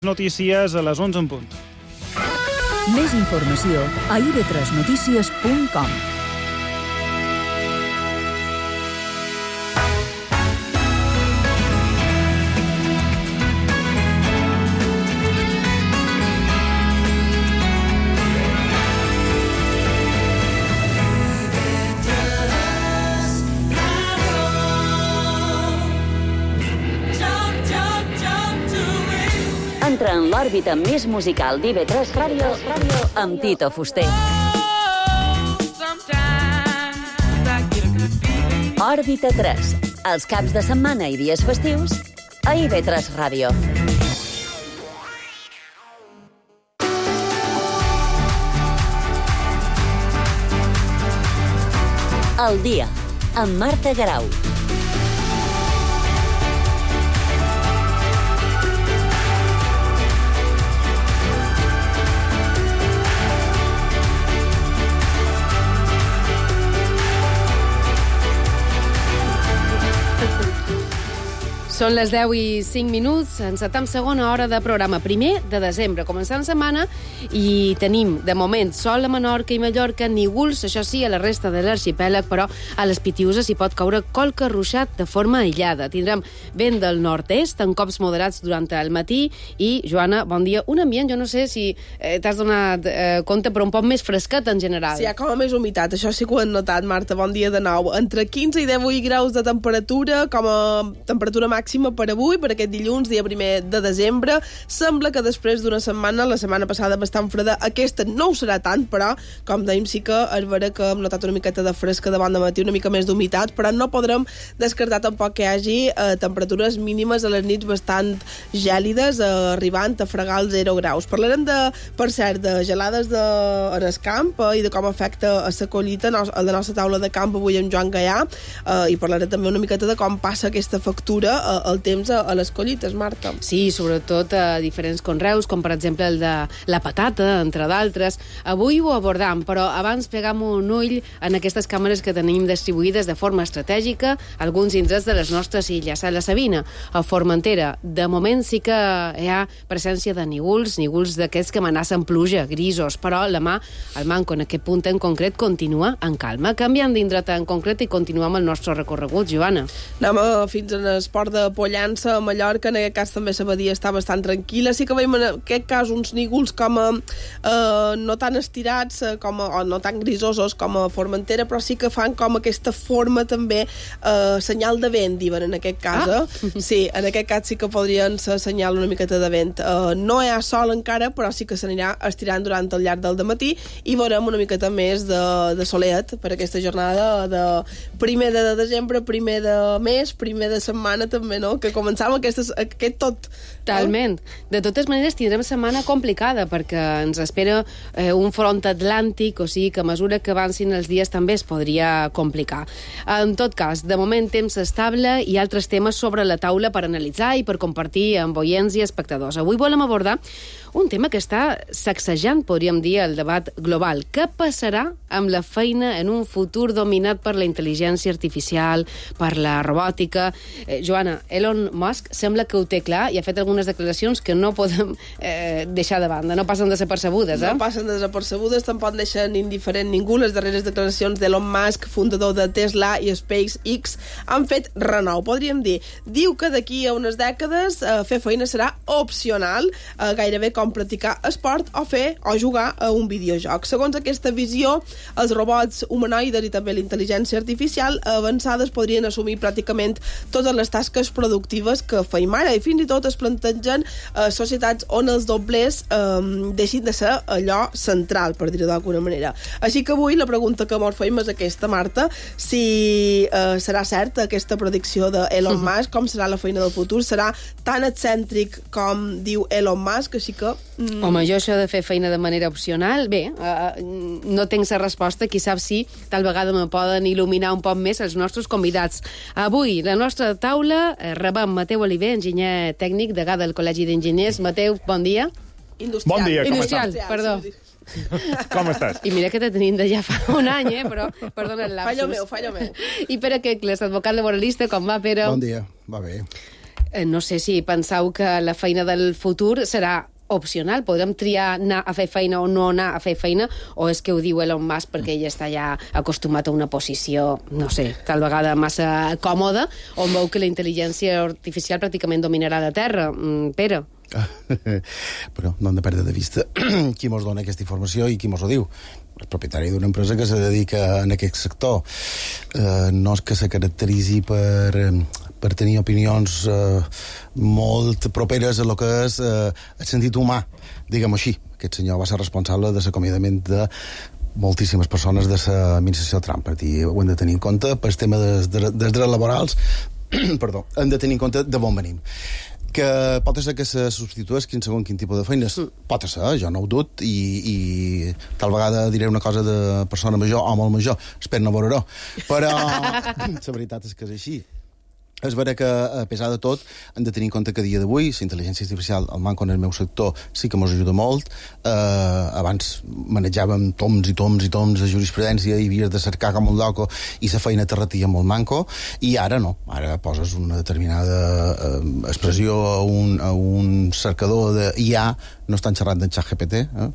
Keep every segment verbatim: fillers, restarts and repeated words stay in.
Notícies a les onze en punt. Més informació a i ve tres notícies punt com. Entra en l'òrbita més musical d'I ve tres Ràdio amb Tito Fuster. Òrbita tres, els caps de setmana i dies festius a I ve tres Ràdio. El dia, amb Marta Garau. Són les deu i cinc minuts, encetam segona hora de programa, primer de desembre. Començant setmana i tenim, de moment, sol a Menorca i Mallorca, nígols, això sí, a la resta de l'arxipèlag, però a les Pitiüses hi pot caure qualque ruixat de forma aïllada. Tindrem vent del nord-est, en cops moderats durant el matí, i, Joana, bon dia. Un ambient, jo no sé si eh, t'has donat eh, compte, però un poc més fresquet en general. Sí, hi ha com a més humitat, això sí que ho hem notat, Marta, bon dia de nou. Entre quinze i divuit graus de temperatura, com a temperatura màxima per avui, per aquest dilluns, dia primer de desembre. Sembla que després d'una setmana, la setmana passada bastant freda, aquesta no ho serà tant, però, com dèiem, sí que és vera que hem notat una miqueta de fresca davant de matí, una mica més d'humitat, però no podrem descartar tampoc que hi hagi eh, temperatures mínimes a les nits bastant gèlides, eh, arribant a fregar els zero graus. Parlarem, de, per cert, de gelades de, en el camp eh, i de com afecta a la collita a la nostra taula de camp avui amb Joan Gaià, eh, i parlarem també una miqueta de com passa aquesta factura eh, el temps a, a les collites, Marta. Sí, sobretot a diferents conreus, com per exemple el de la patata, entre d'altres. Avui ho abordam, però abans pegam un ull en aquestes càmeres que tenim distribuïdes de forma estratègica alguns indrets de les nostres illes. A la Sabina, a Formentera, de moment sí que hi ha presència de nígols, nígols d'aquests que amenacen pluja, grisos, però la mà, el manco en aquest punt en concret, continua en calma. Canviant d'indret en concret i continuem el nostre recorregut, Joana. Anem a, fins en el port de Pollança, a Mallorca, en aquest cas també la badia està bastant tranquil·la. Sí que veiem en aquest cas uns nígols com a, eh, no tan estirats com a, o no tan grisosos com a Formentera, però sí que fan com aquesta forma també eh, senyal de vent, diuen en aquest cas. Ah. Eh? Sí, en aquest cas sí que podrien ser senyal una miqueta de vent. Eh, no hi ha sol encara, però sí que s'anirà estirant durant el llarg del dematí i veurem una miqueta més de, de soleat per aquesta jornada de primer de desembre, primer de mes, primer de setmana també, no? Que començàvem aquestes, aquest tot. Totalment. De totes maneres, tindrem setmana complicada perquè ens espera eh, un front atlàntic, o sigui que a mesura que avancin els dies també es podria complicar. En tot cas, de moment, temps estable i altres temes sobre la taula per analitzar i per compartir amb oients i espectadors. Avui volem abordar un tema que està sacsejant, podríem dir, el debat global. Què passarà amb la feina en un futur dominat per la intel·ligència artificial, per la robòtica? Eh, Joana, Elon Musk sembla que ho té clar i ha fet algunes declaracions que no podem eh, deixar de banda, no passen desapercebudes, eh? No passen desapercebudes, tampoc deixen indiferent ningú. Les darreres declaracions d'Elon Musk, fundador de Tesla i SpaceX, han fet renou, podríem dir. Diu que d'aquí a unes dècades eh, fer feina serà opcional, eh, gairebé com practicar esport o fer o jugar a un videojoc. Segons aquesta visió, els robots humanoides i també la intel·ligència artificial avançades podrien assumir pràcticament totes les tasques productives que feim ara i fins i tot es plantegen eh, societats on els doblers eh, deixin de ser allò central, per dir-ho d'alguna manera. Així que avui la pregunta que mos feim és aquesta, Marta, si eh, serà certa aquesta predicció d'Elon Musk, com serà la feina del futur, serà tan excèntric com diu Elon Musk, així que Mm. Home, jo això de fer feina de manera opcional, bé, uh, no tinc la resposta, qui sap si tal vegada me poden il·luminar un poc més els nostres convidats. Avui, la nostra taula, eh, rebem Mateu Oliver, enginyer tècnic, degà del Col·legi d'Enginyers. Mateu, bon dia. Industrial. Bon dia, com Industrial, estàs? perdó. Com estàs? I mira que te tenim de ja fa un any, eh? Però, perdona el lapsus. Fallo meu, fallo meu. I Pere Quecles, advocat laboralista, com va, Pere? Bon dia, va bé. Eh, no sé si penseu que la feina del futur serà opcional, podem triar anar a fer feina o no anar a fer feina, o és que ho diu Elon Musk perquè ell està ja acostumat a una posició, no sé, tal vegada massa còmoda, on veu que la intel·ligència artificial pràcticament dominarà la Terra. Mm, Pere? Però no hem de perdre de vista qui mos dona aquesta informació i qui mos ho diu. El propietari d'una empresa que se dedica en aquest sector. Eh, no és que se caracteritzi per... per tenir opinions eh, molt properes a lo que és eh, el sentit humà, diguem-ho així. Aquest senyor va ser responsable de l'acomiadament de moltíssimes persones de l'administració Trump. Per dir, ho hem de tenir en compte pel tema dels, dels drets laborals, perdó, hem de tenir en compte de on venim. Que pot ser que se substitueix quin segon quin tipus de feines. Mm. Pot ser, jo no ho dut, i, i tal vegada diré una cosa de persona major o molt major, espero no veure-ho. Però la veritat és que és així. És vera que, a pesar de tot, hem de tenir en compte que a dia d'avui la intel·ligència artificial, el manco en el meu sector, sí que ens ajuda molt. Eh, abans manejàvem toms i toms i toms de jurisprudència i havies de cercar com un loco i la feina te retia molt manco, i ara no. Ara poses una determinada eh, expressió a un, a un cercador d'I A, no estan xerrant d'en ChatGPT, eh?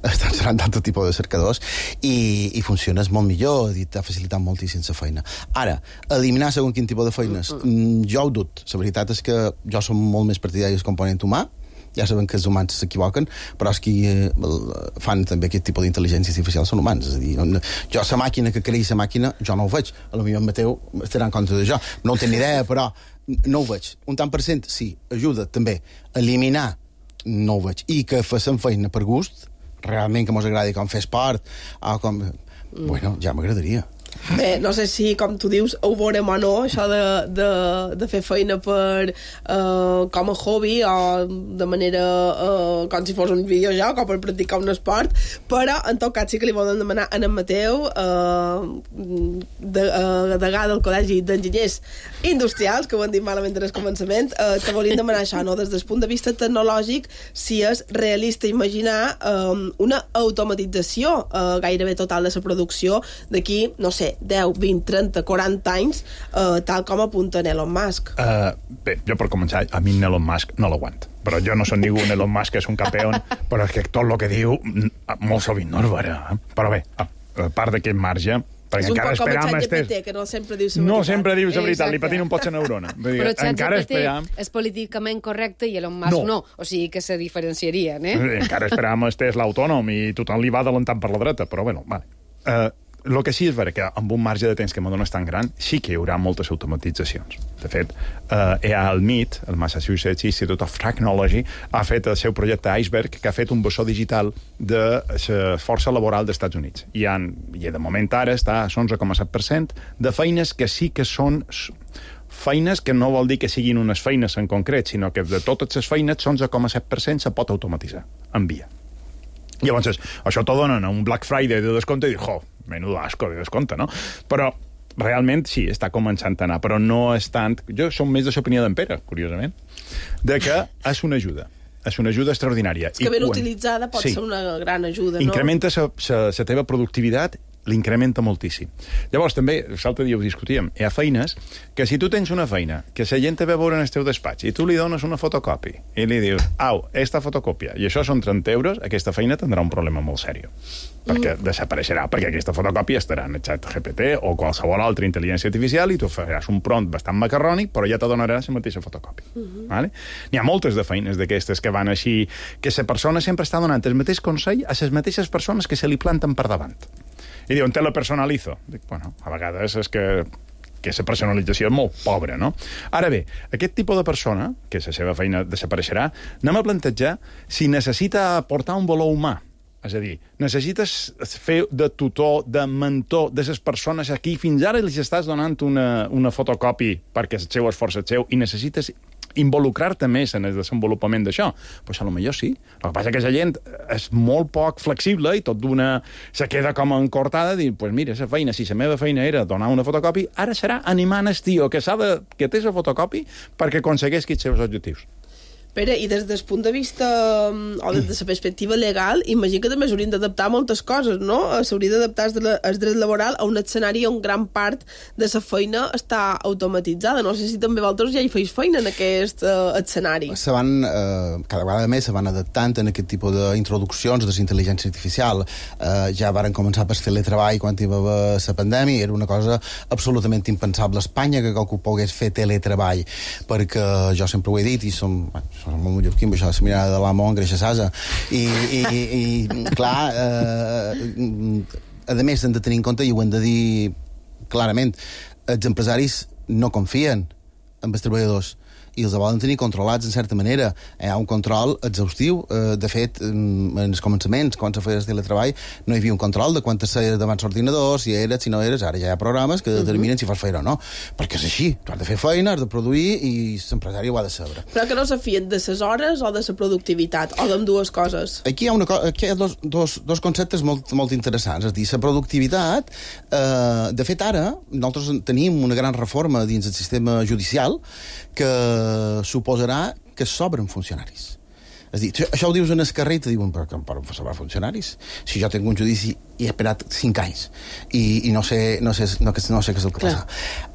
Estan xerrant d'altre tipus de cercadors, i, i funciones molt millor, i t'ha facilitat moltíssim la feina. Ara, eliminar segon quin tipus de feines, mm. jo ho dut. La veritat és que jo som molt més partidari del component humà, ja sabem que els humans s'equivoquen, però els que eh, fan també aquest tipus d'intel·ligència artificial són humans. És a dir, no, jo, la màquina que creix la màquina, jo no ho veig. A lo millor en Mateu estarà en compte d'això. No ho tenc ni idea, però no ho veig. Un tant per cent, sí, ajuda també a eliminar, no ho veig. I que facin feina per gust, realment que mos agradi com fer esport, o com... Mm. Bueno, ja m'agradaria. Bé, no sé si, com tu dius, ho veurem o no, això de, de, de fer feina per, uh, com a hobby o de manera uh, com si fos un videojoc o per practicar un esport, però en tot cas sí que li volen demanar a en Mateu, uh, de, uh, degà del Col·legi d'Enginyers Industrials, que ho han dit malament en el començament, uh, te volien demanar això, no? Des del punt de vista tecnològic, si és realista imaginar um, una automatització uh, gairebé total de la producció d'aquí, no sé, deu, vint, trenta, quaranta anys, eh, tal com apunta Elon Musk. Uh, bé, jo per començar, a mi Elon Musk no l'aguant. Però jo no soc ningú, Elon Musk és un campió, però és que tot el que diu molt sovint no és vera. Eh? Però bé, a part d'aquest marge, perquè és un encara poc com el esperam... ChatGPT, que no sempre diu la veritat. No sempre diu la veritat, li patina un pot la neurona. Però ChatGPT és políticament correcte i Elon Musk no. no. O sigui que se diferenciarien, eh? Encara esperam el Tesla autònom i tothom li va adelantant per la dreta, però bueno, vale. Uh, el que sí és vera que amb un marge de temps que m'adones tan gran sí que hi haurà moltes automatitzacions. De fet, eh, el M I T, el Massachusetts Institute of Technology, ha fet el seu projecte Iceberg, que ha fet un bessó digital de la força laboral dels Estats Units. I, han, i de moment ara està a onze coma set per cent de feines que sí que són feines que no vol dir que siguin unes feines en concret, sinó que de totes les feines, onze coma set per cent se pot automatitzar en via. Llavors, això t'ho donen a un Black Friday de descompte i dius, jo, menudo asco de descompte, no? Però realment sí, està començant a anar, però no és tant... Jo som més de l'opinió d'en Pere, curiosament, de que és una ajuda. És una ajuda extraordinària. És que ben quan... utilitzada pot sí. ser una gran ajuda, no? Incrementa la teva productivitat, l'incrementa moltíssim. Llavors, també, l'altre dia ho discutíem, hi ha feines que si tu tens una feina, que la gent te ve a veure en el teu despatx i tu li dones una fotocopi i li dius, au, esta fotocòpia, i això són trenta euros, aquesta feina tindrà un problema molt sèrio. Perquè mm. desapareixerà, perquè aquesta fotocòpia estarà en el ChatGPT o qualsevol altra intel·ligència artificial i tu faràs un prompt bastant macarrònic, però ja te donarà la mateixa fotocòpia. Mm-hmm. Vale? N'hi ha moltes de feines d'aquestes que van així, que la persona sempre està donant el mateix consell a les mateixes persones que se li planten per davant. I diuen, te la personalitzo. Dic, bueno, a vegades és que que la personalització és molt pobra, no? Ara bé, aquest tipus de persona, que la seva feina desapareixerà, anem a plantejar si necessita aportar un valor humà. És a dir, necessites fer de tutor, de mentor de les persones a qui fins ara els estàs donant una, una fotocopi perquè el seu esforç és seu i necessites involucrar-te més en el desenvolupament d'això. Pues a lo millor sí. El que passa és que la gent és molt poc flexible i tot d'una se queda com encortada i dir, pues mira, la feina, si la meva feina era donar una fotocopi, ara serà animant el tio que, s'ha de, que té la fotocopi perquè aconsegueixi els seus objectius. Pere, i des del punt de vista o des de la perspectiva legal, imagino que també s'haurien d'adaptar moltes coses, no? S'hauria d'adaptar el dret laboral a un escenari on gran part de la feina està automatitzada. No sé si també vosaltres ja hi feis feina en aquest uh, escenari. Se van, uh, cada vegada més se van adaptant en aquest tipus d'introduccions de l'intel·ligència artificial. Uh, ja varen començar per teletreball quan hi va haver la pandèmia, era una cosa absolutament impensable a Espanya que qualcú pogués fer teletreball, perquè jo sempre ho he dit, i som... som molt mallorquí, amb això de la mirada de l'amo engreixa s'asa. I, i, i clar, eh, a més hem de tenir en compte, i ho hem de dir clarament, els empresaris no confien en els treballadors i els volen tenir controlats, en certa manera. Hi ha un control exhaustiu. Eh, de fet, en els començaments, quan se feia el teletreball, no hi havia un control de quantes seies davant l'ordinador, si eres, si no eres. Ara ja hi ha programes que determinen uh -huh. si fas feina o no. Perquè és així. Tu has de fer feina, has de produir, i l'empresari ho ha de saber. Però que no se fien de les hores o de la productivitat, o d'ambdues coses? Aquí hi ha, una co aquí hi ha dos, dos, dos conceptes molt, molt interessants. És a dir, la productivitat, eh, de fet, ara, nosaltres tenim una gran reforma dins del sistema judicial que suposarà que sobren funcionaris. És a dir, això ho dius en el carrer i te diuen, però per on sobrar funcionaris? Si jo tinc un judici i he esperat cinc anys i, i no, sé, no, sé, no, no sé què és el que passa.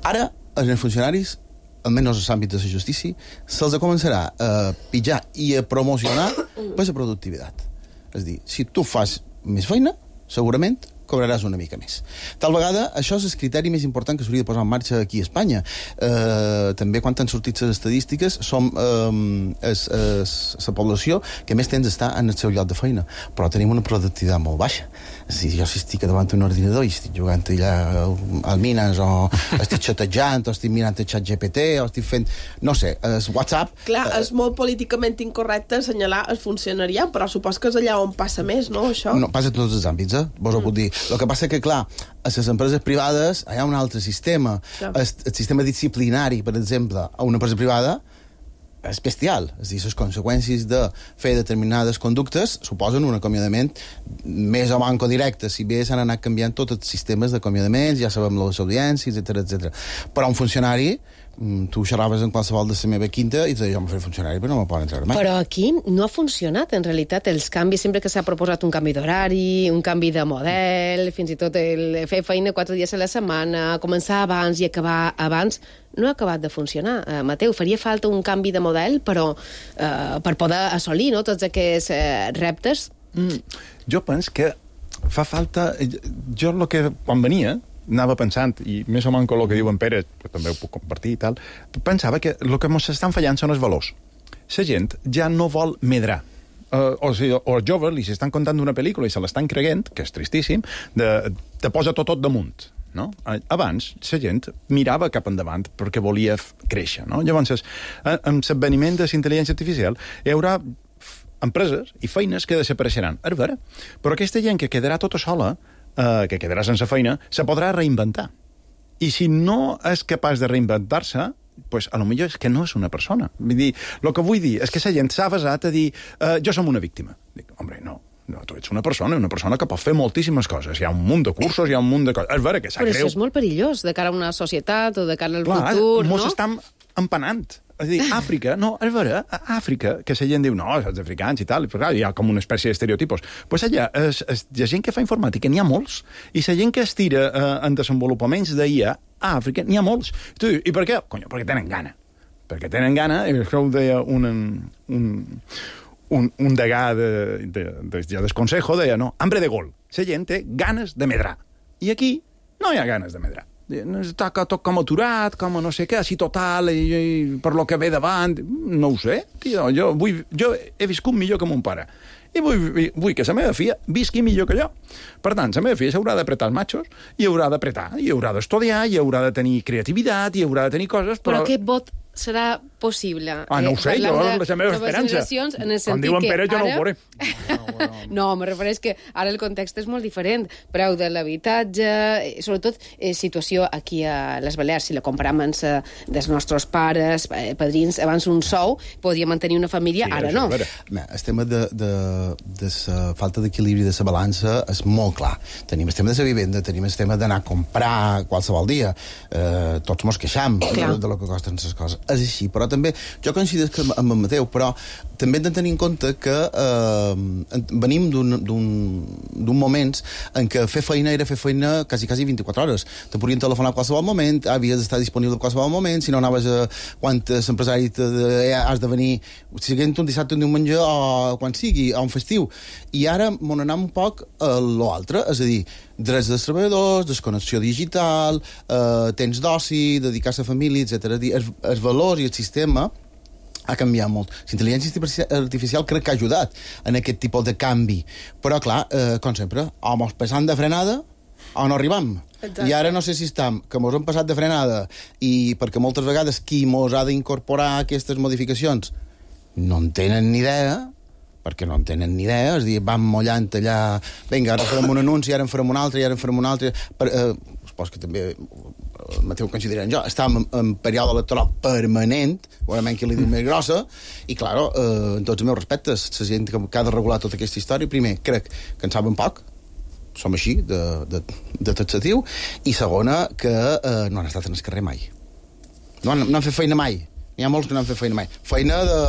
Ara, els funcionaris, almenys als àmbits de la justícia, se'ls començarà a pitjar i a promocionar per la productivitat. És a dir, si tu fas més feina, segurament cobraràs una mica més. Tal vegada, això és el criteri més important que s'hauria de posar en marxa aquí a Espanya. Eh, també, quan han sortit les estadístiques, som eh, la població que més temps està en el seu lloc de feina, però tenim una productivitat molt baixa. És a dir, jo si estic davant d'un ordinador i estic jugant allà al Minas, o estic xatejant, o estic mirant el xat G P T, o estic fent, no sé, el WhatsApp... Clar, eh, és molt políticament incorrecte assenyalar el funcionariat, però supos que és allà on passa més, no, això? No, passa a tots els àmbits, eh? Vos ho puc dir. El que passa que, clar, a les empreses privades hi ha un altre sistema. El, el sistema disciplinari, per exemple, a una empresa privada és bestial. És a dir, les conseqüències de fer determinades conductes suposen un acomiadament més o manco directe. Si bé s'han anat canviant tots els sistemes d'acomiadaments, ja sabem les audiències, etcètera, etcètera. Però un funcionari, tu xerraves en qualsevol de la meva quinta i te deia, jo m'ho faré funcionari, però no me poden treure mai. Però aquí no ha funcionat, en realitat, els canvis, sempre que s'ha proposat un canvi d'horari, un canvi de model, fins i tot el fer feina quatre dies a la setmana, començar abans i acabar abans, no ha acabat de funcionar. Uh, Mateu, faria falta un canvi de model, però uh, per poder assolir, no, tots aquests uh, reptes? Mm, jo penso que fa falta... Jo el que, quan venia, anava pensant, i més o menys el que diu en Pere, que també ho puc compartir i tal, pensava que el que ens estan fallant són els valors. La gent ja no vol medrar. Uh, o sigui, o els joves li s'estan contant una pel·lícula i se l'estan creient, que és tristíssim, de, de posa tot tot damunt. No? Abans, la gent mirava cap endavant perquè volia créixer. No? Llavors, amb l'esveniment de la intel·ligència artificial, hi haurà empreses i feines que desapareixeran. És vera. Però aquesta gent que quedarà tota sola, eh, que quedarà sense feina, se podrà reinventar. I si no és capaç de reinventar-se, pues, a lo millor és que no és una persona. Vull dir, el que vull dir és que la gent s'ha basat a dir eh, jo som una víctima. Dic, hombre, no. No, tu ets una persona, una persona que pot fer moltíssimes coses. Hi ha un munt de cursos, hi ha un munt de coses. És vera que sap greu. Però això és molt perillós, de cara a una societat o de cara al Clar, futur, no? Mos estan empanant. És a dir, Àfrica, no, és vera, a Àfrica, que la gent diu, no, els africans i tal, però clar, hi ha com una espècie d'estereotipos. Doncs pues allà, es, es, hi ha gent que fa informàtica, n'hi ha molts, i la gent que es tira eh, en desenvolupaments d'I A a Àfrica, n'hi ha molts. I tu dius, i per què? Conyo, perquè tenen gana. Perquè tenen gana, i això ho deia un... un un, un degà de, de, de, de, del Consejo deia, no, hambre de gol. La gent té ganes de medrar. I aquí no hi ha ganes de medrar. Està tot com aturat, com no sé què, així total, i, i per lo que ve davant. No ho sé, tio, jo, vull, jo he viscut millor que mon pare. I vull, vull que la meva filla visqui millor que jo. Per tant, la meva filla s'haurà d'apretar els machos, i haurà d'apretar, i haurà d'estudiar, i haurà de tenir creativitat, i haurà de tenir coses... Però, però aquest vot serà possible? Ah, no ho sé, jo, la meva esperança. En el Quan diuen Pere, jo ara... no ho veuré. No, me refereix que ara el context és molt diferent. Preu de l'habitatge, sobretot eh, situació aquí a les Balears, si la comparem amb eh, dels nostres pares, eh, padrins, abans un sou, podia mantenir una família, sí, ara no. Bé, el tema de, de, de la falta d'equilibri de la balança és molt clar. Tenim el tema de la vivenda, tenim el tema d'anar a comprar qualsevol dia. Eh, tots mos queixam de, de lo que costen les coses. és així, però també jo coincideixo amb el Mateu, però també hem de tenir en compte que eh, venim d'un moment en què fer feina era fer feina quasi, quasi vint-i-quatre hores. Te podien telefonar a qualsevol moment, havies d'estar disponible a qualsevol moment, si no anaves a quan l'empresari has de venir, siguent un dissabte, un diumenge o quan sigui, a un festiu. I ara m'on anem un poc a l'altre, és a dir, drets dels treballadors, desconnexió digital, eh, temps d'oci, dedicar-se a família, etcètera. Els, els valors i el sistema ha canviat molt. La intel·ligència artificial crec que ha ajudat en aquest tipus de canvi. Però, clar, eh, com sempre, o mos passant de frenada o no arribam. Exacte. I ara no sé si estem, que mos hem passat de frenada i perquè moltes vegades qui mos ha d'incorporar aquestes modificacions no en tenen ni idea, perquè no en tenen ni idea, és a dir, van mollant allà, vinga, ara farem un anunci, ara en farem un altre, i ara en farem un altre... Per, eh, supos que també el Mateu considerant jo, estàvem en, en període electoral permanent, segurament que li diu més grossa, i, clar, eh, en tots els meus respectes, la gent que, que ha de regular tota aquesta història, primer, crec que en saben poc, som així, de, de, de taxatiu, i segona, que eh, no han estat en el carrer mai. No han, no han fet feina mai. N'hi ha molts que no han fet feina mai. Feina de...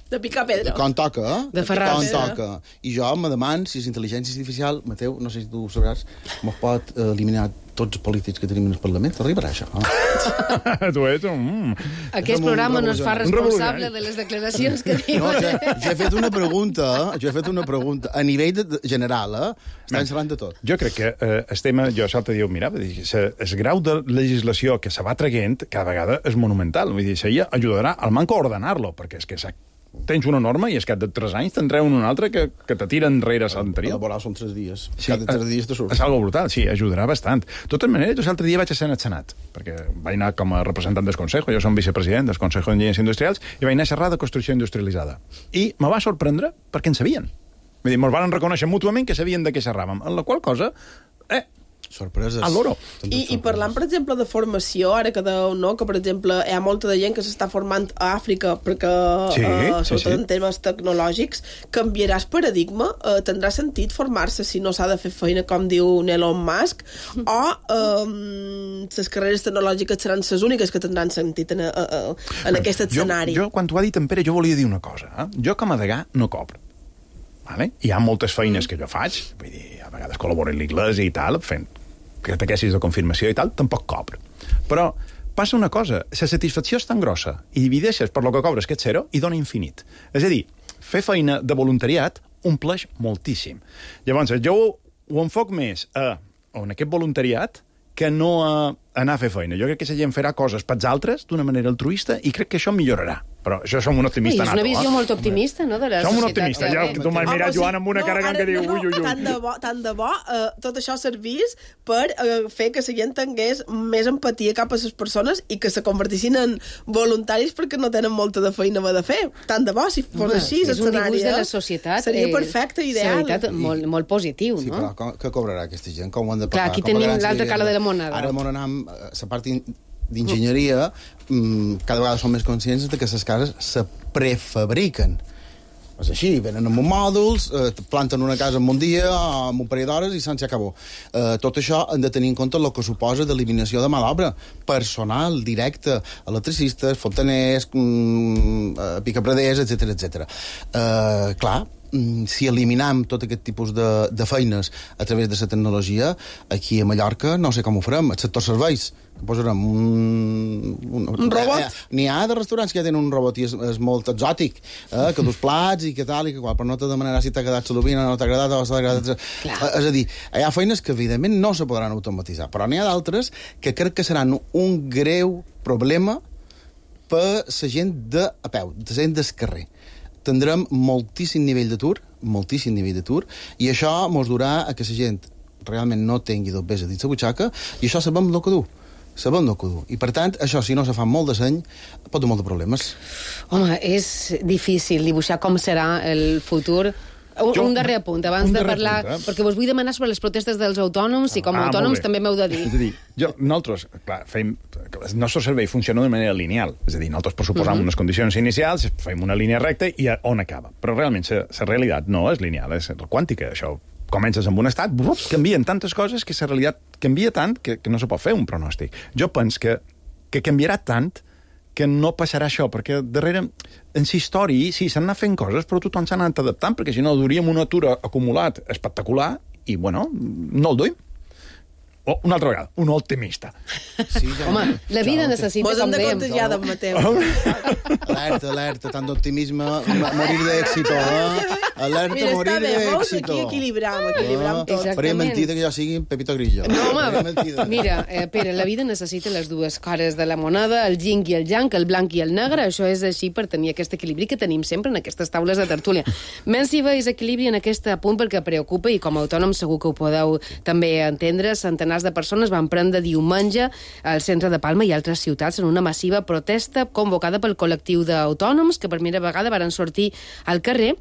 De picar pedra. Quan toca, eh? De ferrar. Quan toca. I jo me deman si és intel·ligència artificial, Mateu, no sé si tu ho sabràs, mos pot eh, eliminar tots els polítics que tenim en el Parlament. T'arribarà això, eh? tu ets un... Mm. Aquest programa no es fa responsable de les declaracions que diu. No, jo, jo he fet una pregunta, jo he fet una pregunta a nivell de, de general, eh? Estan xerrant de tot. Jo crec que eh, el tema, jo l'altre dia ho mirava, el grau de legislació que se va traient cada vegada és monumental. Vull dir, això ajudarà al manco a ordenar-lo, perquè és que tens una norma i és que de tres anys te'n treuen una altra que, que te tira enrere a l'anterior. Laboral són tres dies. Sí, cada tres dies te surt. És algo brutal, sí, ajudarà bastant. De totes maneres, jo l'altre dia vaig a ser al Senat, perquè vaig anar com a representant del Consejo, jo som vicepresident del Consejo d'Enginyers Industrials, i vaig anar a xerrar de construcció industrialitzada. I me va sorprendre perquè en sabien. Vull dir, ens van reconèixer mútuament que sabien de què xerràvem, en la qual cosa... Eh, sorpreses. A l'oro. I, I parlant, per exemple, de formació, ara que deu, no, que, per exemple, hi ha molta de gent que s'està formant a Àfrica perquè, sí, eh, sobretot sí, sí. en temes tecnològics, canviaràs paradigma? Eh, tindrà sentit formar-se si no s'ha de fer feina, com diu Elon Musk? O eh, les carreres tecnològiques seran les úniques que tindran sentit en, eh, en aquest escenari? Jo, jo, quan t'ho ha dit en Pere, jo volia dir una cosa. Eh? Jo, com a degà, no cobro. Vale? Hi ha moltes feines que jo faig, vull dir, a vegades col·laboro en l'Iglesias i tal, fent catequesis de confirmació i tal, tampoc cobro. Però passa una cosa, la satisfacció és tan grossa i divideixes per lo que cobres aquest zero i dona infinit. És a dir, fer feina de voluntariat ompleix moltíssim. Llavors, jo ho, ho enfoc més a, a aquest voluntariat que no a anar a fer feina. Jo crec que la gent farà coses pels altres d'una manera altruista i crec que això millorarà. Però això som un optimista nato. És una visió eh? molt optimista, no?, de la som societat. un optimista. Ja, tu m'has mirat, Joan, amb una no, cara ara, que diu no, ui, ui, ui. Tant de bo, tant de bo eh, tot això servís per eh, fer que la gent tingués més empatia cap a les persones i que se convertissin en voluntaris perquè no tenen molta de feina de fer. Tant de bo, si fos Home, així, és un dibuix de la societat. Seria eh, perfecte, ideal. Veritat, molt, molt positiu, sí, no? però com, què cobrarà aquesta gent? Com ho han de Clar, pagar? aquí Com tenim pagaran l'altra si- cara de la moneda. Ara m'on anam, la part d'enginyeria, mm, cada vegada som més conscients de que les cases se prefabriquen. És així, venen amb mòduls, eh, planten una casa en un dia, amb un parell d'hores i se'n acabó. Eh, tot això hem de tenir en compte el que suposa d'eliminació de mà d'obra personal, directe, electricistes, fontaners, mm, eh, picapraders, etcètera, etcètera. Eh, clar, si eliminam tot aquest tipus de, de feines a través de la tecnologia, aquí a Mallorca no sé com ho farem, el sector serveis, que posarem un... Un, un robot? Eh, N'hi ha de restaurants que ja tenen un robot i és, és molt exòtic, eh, que dus plats i que tal, i que qual, però no te demanarà si t'ha quedat salubina, no t'ha agradat, o s'ha agradat... Eh, és a dir, hi ha feines que evidentment no se podran automatitzar, però n'hi ha d'altres que crec que seran un greu problema per la gent de a peu, la gent del carrer. Tindrem moltíssim nivell d'atur, moltíssim nivell d'atur, i això mos durà a que la gent realment no tingui dos a dins la butxaca, i això sabem el que du. Sabem el que du. I, per tant, això, si no se fa molt de seny, pot dur molt de problemes. Home, és difícil dibuixar com serà el futur. Un, Jo, un darrer apunt, abans un de darrer parlar... apunt, eh? Perquè vos vull demanar sobre les protestes dels autònoms i com a Ah, autònoms molt bé. també m'heu de dir. És a dir, jo, nosaltres, clar, fem, el nostre servei funciona de manera lineal. És a dir, nosaltres pressuposam uh -huh. unes condicions inicials, fem una línia recta i a on acaba. Però realment la realitat no és lineal, és quàntica. Això comences amb un estat, brup, canvien tantes coses que la realitat canvia tant que, que no se pot fer un pronòstic. Jo penso que, que canviarà tant que no passarà això, perquè darrere, en la història, sí, s'han anat fent coses, però tothom s'ha anat adaptant, perquè si no duríem un atur acumulat espectacular i, bueno, no el duim. O, una altra vegada, un optimista. Sí, ja Home, la vida ja, necessita, com com dèiem... dèiem... Ja d'en Mateu. Alerta, alerta, tant d'optimisme, morir d'èxito, eh? Alerta, Mira, morir està bé, veus? d'èxito. Aquí equilibram, equilibram tot. Exactament. Faria mentida que jo sigui Pepito Grillo. No, home, Faria mentida. mira, eh, Pere, la vida necessita les dues cares de la moneda, el yin i el yang, el blanc i el negre. Això és així per tenir aquest equilibri que tenim sempre en aquestes taules de tertúlia. Menys si veus equilibri en aquest punt perquè preocupa, i com a autònom segur que ho podeu també entendre, centenars de persones van prendre diumenge al centre de Palma i altres ciutats en una massiva protesta convocada pel col·lectiu d'autònoms que per primera vegada varen sortir al carrer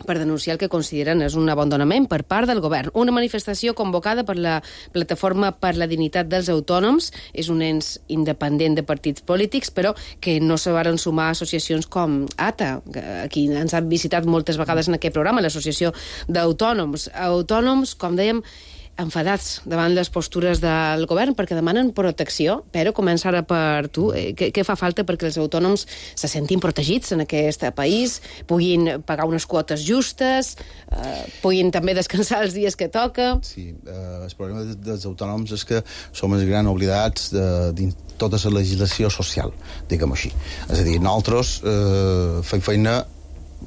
per denunciar el que consideren és un abandonament per part del govern. Una manifestació convocada per la Plataforma per la Dignitat dels Autònoms, és un ens independent de partits polítics, però que no se varen sumar associacions com A T A, aquí ens han visitat moltes vegades en aquest programa, l'Associació d'Autònoms. Autònoms, com dèiem, enfadats davant les postures del govern perquè demanen protecció, però comença ara per tu. Què, què fa falta perquè els autònoms se sentin protegits en aquest país, puguin pagar unes quotes justes, eh, puguin també descansar els dies que toca? Sí, eh, el problema dels autònoms és que som els grans oblidats de, de tota la legislació social, diguem-ho així. És a dir, nosaltres eh, fem feina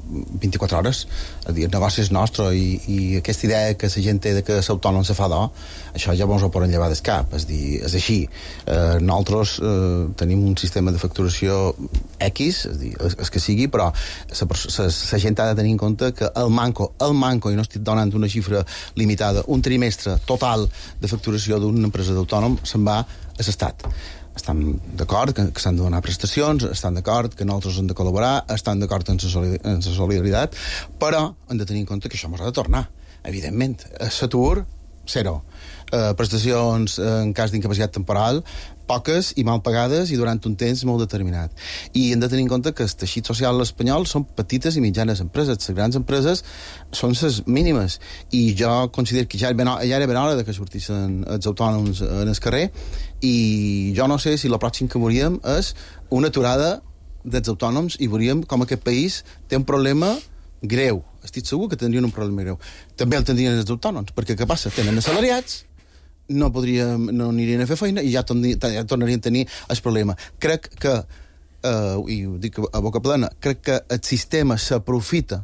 vint-i-quatre hores, a dir, el negoci és nostre i, i aquesta idea que la gent té de que l'autònom se fa d'or, això ja ens ho poden llevar del cap, és dir, és així. Eh, nosaltres eh, tenim un sistema de facturació X, és dir, és, és que sigui, però la gent ha de tenir en compte que el manco, el manco, i no estic donant una xifra limitada, un trimestre total de facturació d'una empresa d'autònom se'n va a l'Estat. Estan d'acord que, que s'han de donar prestacions, estan d'acord que nosaltres hem de col·laborar, estan d'acord en la solidaritat, però hem de tenir en compte que això ens ha de tornar, evidentment. L'atur, zero. Eh, prestacions en cas d'incapacitat temporal, poques i mal pagades i durant un temps molt determinat. I hem de tenir en compte que el teixit social espanyol són petites i mitjanes empreses. Les grans empreses són les mínimes. I jo considero que ja era ben, ja era ben hora de que sortissin els autònoms en el carrer, i jo no sé si la pròxim que veuríem és una aturada dels autònoms i veuríem com aquest país té un problema greu. Estic segur que tindrien un problema greu. També el tindrien els autònoms, perquè què passa? Tenen assalariats, no podríem, no anirien a fer feina i ja, torni, ja tornarien a tenir el problema. Crec que, eh, i ho dic a boca plena, crec que el sistema s'aprofita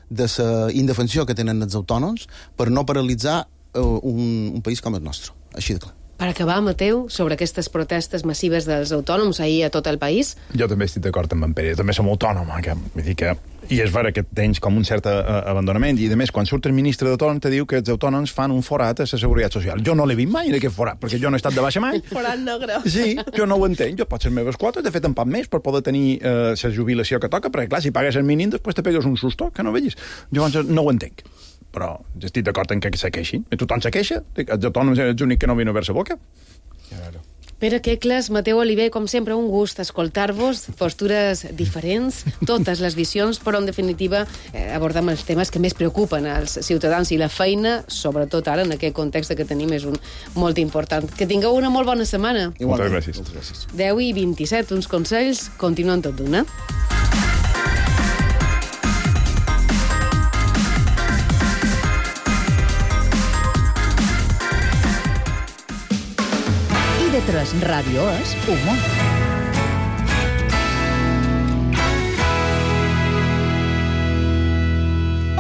de la indefensió que tenen els autònoms per no paralitzar eh, un, un país com el nostre. Així de clar. Per acabar, Mateu, sobre aquestes protestes massives dels autònoms ahir a tot el país? Jo també estic d'acord amb en Pere, jo també som autònom, que, vull dir que, i és vera que tens com un cert uh, abandonament, i a més, quan surt el ministre d'autònom te diu que els autònoms fan un forat a la seguretat social. Jo no l'he vist mai en aquest forat, perquè jo no he estat de baixa mai. Forat negre. Sí, jo no ho entenc, jo pots les meves quotes, de fet en poc més per poder tenir uh, la jubilació que toca, perquè clar, si pagues el mínim, després te pegues un susto, que no vegis. Llavors no ho entenc. Però estic d'acord en que se queixin. Tothom se queixa, els autònoms és l'únic que no vino a veure la boca. Claro. Pere Quecles, Mateu Oliver, com sempre, un gust escoltar-vos, postures diferents, totes les visions, però en definitiva eh, abordem els temes que més preocupen als ciutadans i la feina, sobretot ara en aquest context que tenim, és un molt important. Que tingueu una molt bona setmana. Moltes gràcies. Moltes gràcies. deu i vint-i-set, uns consells, continuen tot d'una. I de tres Ràdio és humor.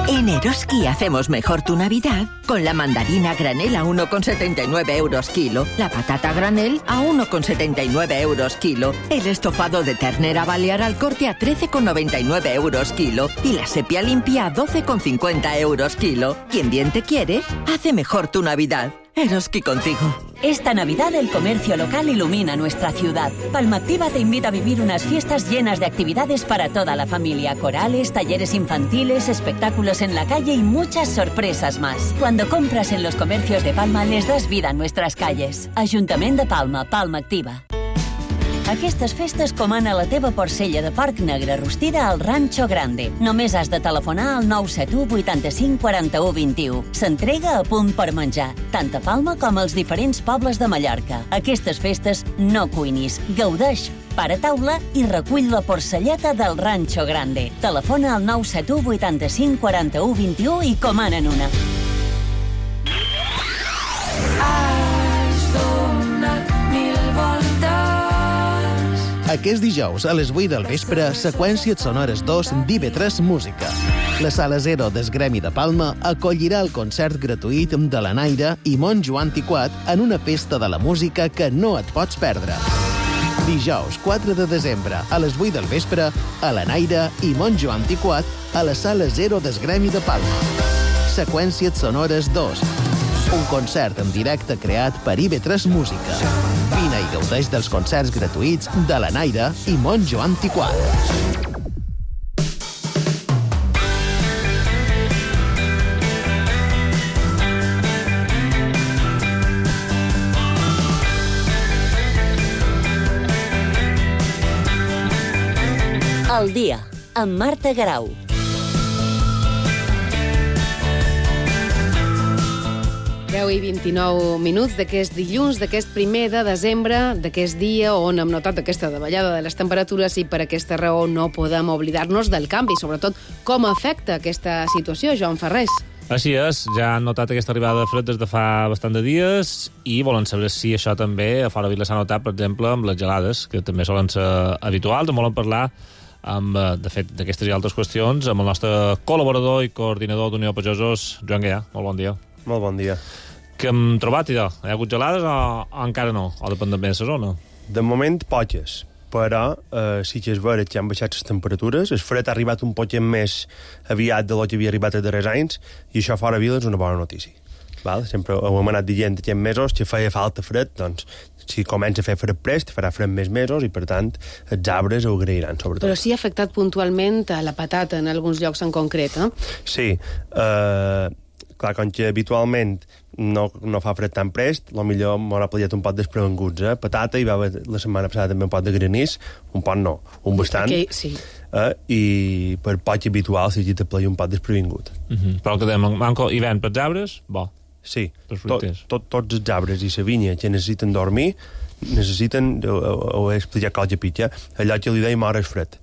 En Eroski hacemos mejor tu Navidad con la mandarina granel a uno con setenta y nueve euros kilo, la patata granel a uno con setenta y nueve euros kilo, el estofado de ternera balear al corte a trece con noventa y nueve euros kilo y la sepia limpia a doce con cincuenta euros kilo. Quien bien te quiere, hace mejor tu Navidad. Eroski contigo. Esta Navidad el comercio local ilumina nuestra ciudad. Palma Activa te invita a vivir unas fiestas llenas de actividades para toda la familia. Corales, talleres infantiles, espectáculos en la calle y muchas sorpresas más. Cuando compras en los comercios de Palma les das vida a nuestras calles. Ayuntamiento de Palma, Palma Activa. Aquestes festes comana la teva porcella de porc negre rostida al Rancho Grande. Només has de telefonar al nou set u vuitanta-cinc quaranta-u vint-i-u. S'entrega a punt per menjar, tant a Palma com als diferents pobles de Mallorca. Aquestes festes no cuinis, gaudeix, para taula i recull la porcelleta del Rancho Grande. Telefona al nou set u vuitanta-cinc quaranta-u vint-i-u i comanen una. Aquest dijous, a les vuit del vespre, Seqüències Sonores dos d'I V tres Música. La Sala Zero del Gremi de Palma acollirà el concert gratuït de la Naira i Monjo Antiquat en una festa de la música que no et pots perdre. Dijous, quatre de desembre, a les vuit del vespre, a la Naira i Monjo Antiquat a la Sala Zero del Gremi de Palma. Seqüències Sonores dos. Un concert en directe creat per I V tres Música. Vine i gaudeix dels concerts gratuïts de la Naira i Monjo Antiquat. Al dia, amb Marta Garau. deu i vint-i-nou minuts d'aquest dilluns, d'aquest primer de desembre, d'aquest dia on hem notat aquesta davallada de les temperatures i per aquesta raó no podem oblidar-nos del canvi, sobretot com afecta aquesta situació, Joan Ferrés. Així és, ja han notat aquesta arribada de fred des de fa bastant de dies i volen saber si això també a fora Vila s'ha notat, per exemple, amb les gelades, que també solen ser habituals. En volen parlar, amb, de fet, d'aquestes i altres qüestions, amb el nostre col·laborador i coordinador d'Unió Pagesos, Joan Gaià. Molt bon dia. Molt bon dia. Què hem trobat, idò? Hi ha hagut gelades o, o encara no? O depèn també de la zona? De moment, poques. Però eh, sí que és vera que han baixat les temperatures. El fred ha arribat un poc més aviat de lo que havia arribat els darrers anys i això fora Vila és una bona notícia. Val? Sempre ho hem anat dient aquests mesos que feia falta fred, doncs si comença a fer fred prest, farà fred més mesos i, per tant, els arbres ho agrairan, sobretot. Però sí ha afectat puntualment a la patata en alguns llocs en concret, eh? Sí. Eh, clar, com que habitualment no, no fa fred tan prest, potser m'haurà plajat un pot desprevenguts, eh? Patata, hi va haver la setmana passada també un pot de granís, un pot no, un bastant, okay, sí. eh? I per poc habitual si te plaja un pot desprevingut. Uh -huh. Però que dèiem, manco hivern pels arbres, bo. Sí, tot, tot, tots els arbres i la vinya que necessiten dormir, necessiten, ho, ho he explicat cosa pitja, allò que li deim hores fred,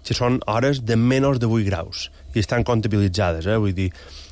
que són hores de menys de vuit graus, i estan comptabilitzades, eh? Vull dir,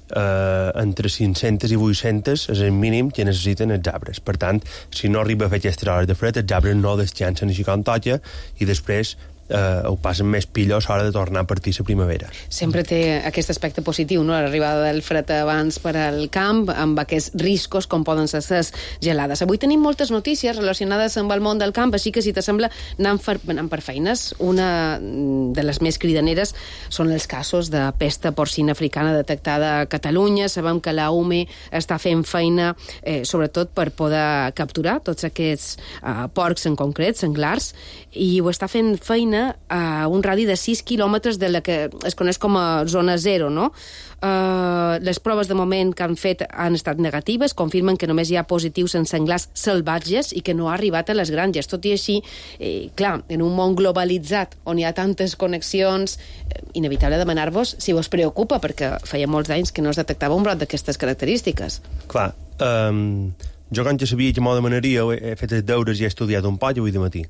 Uh, entre cinc-centes i vuit-centes és el mínim que necessiten els arbres. Per tant, si no arriba a fer aquestes hores de fred, els arbres no descansen així com toca i després uh, ho passen més pillos a l'hora de tornar a partir la primavera. Sempre té aquest aspecte positiu, no?, l'arribada del fred abans per al camp, amb aquests riscos com poden ser les gelades. Avui tenim moltes notícies relacionades amb el món del camp, així que si t'assembla anem, fer, anem per feines. Una de les més cridaneres són els casos de pesta porcina africana detectada a Catalunya. Sabem que la U M E està fent feina eh, sobretot per poder capturar tots aquests eh, porcs en concret, senglars, i ho està fent feina a un radi de sis quilòmetres de la que es coneix com a zona zero, no? Uh, les proves de moment que han fet han estat negatives, confirmen que només hi ha positius en senglars salvatges i que no ha arribat a les granges. Tot i així, eh, clar, en un món globalitzat on hi ha tantes connexions, eh, inevitable demanar-vos si vos preocupa, perquè feia molts anys que no es detectava un brot d'aquestes característiques. Clar, um, jo quan ja sabia que m'ho demanaria, he fet els deures i he estudiat un poc avui de matí.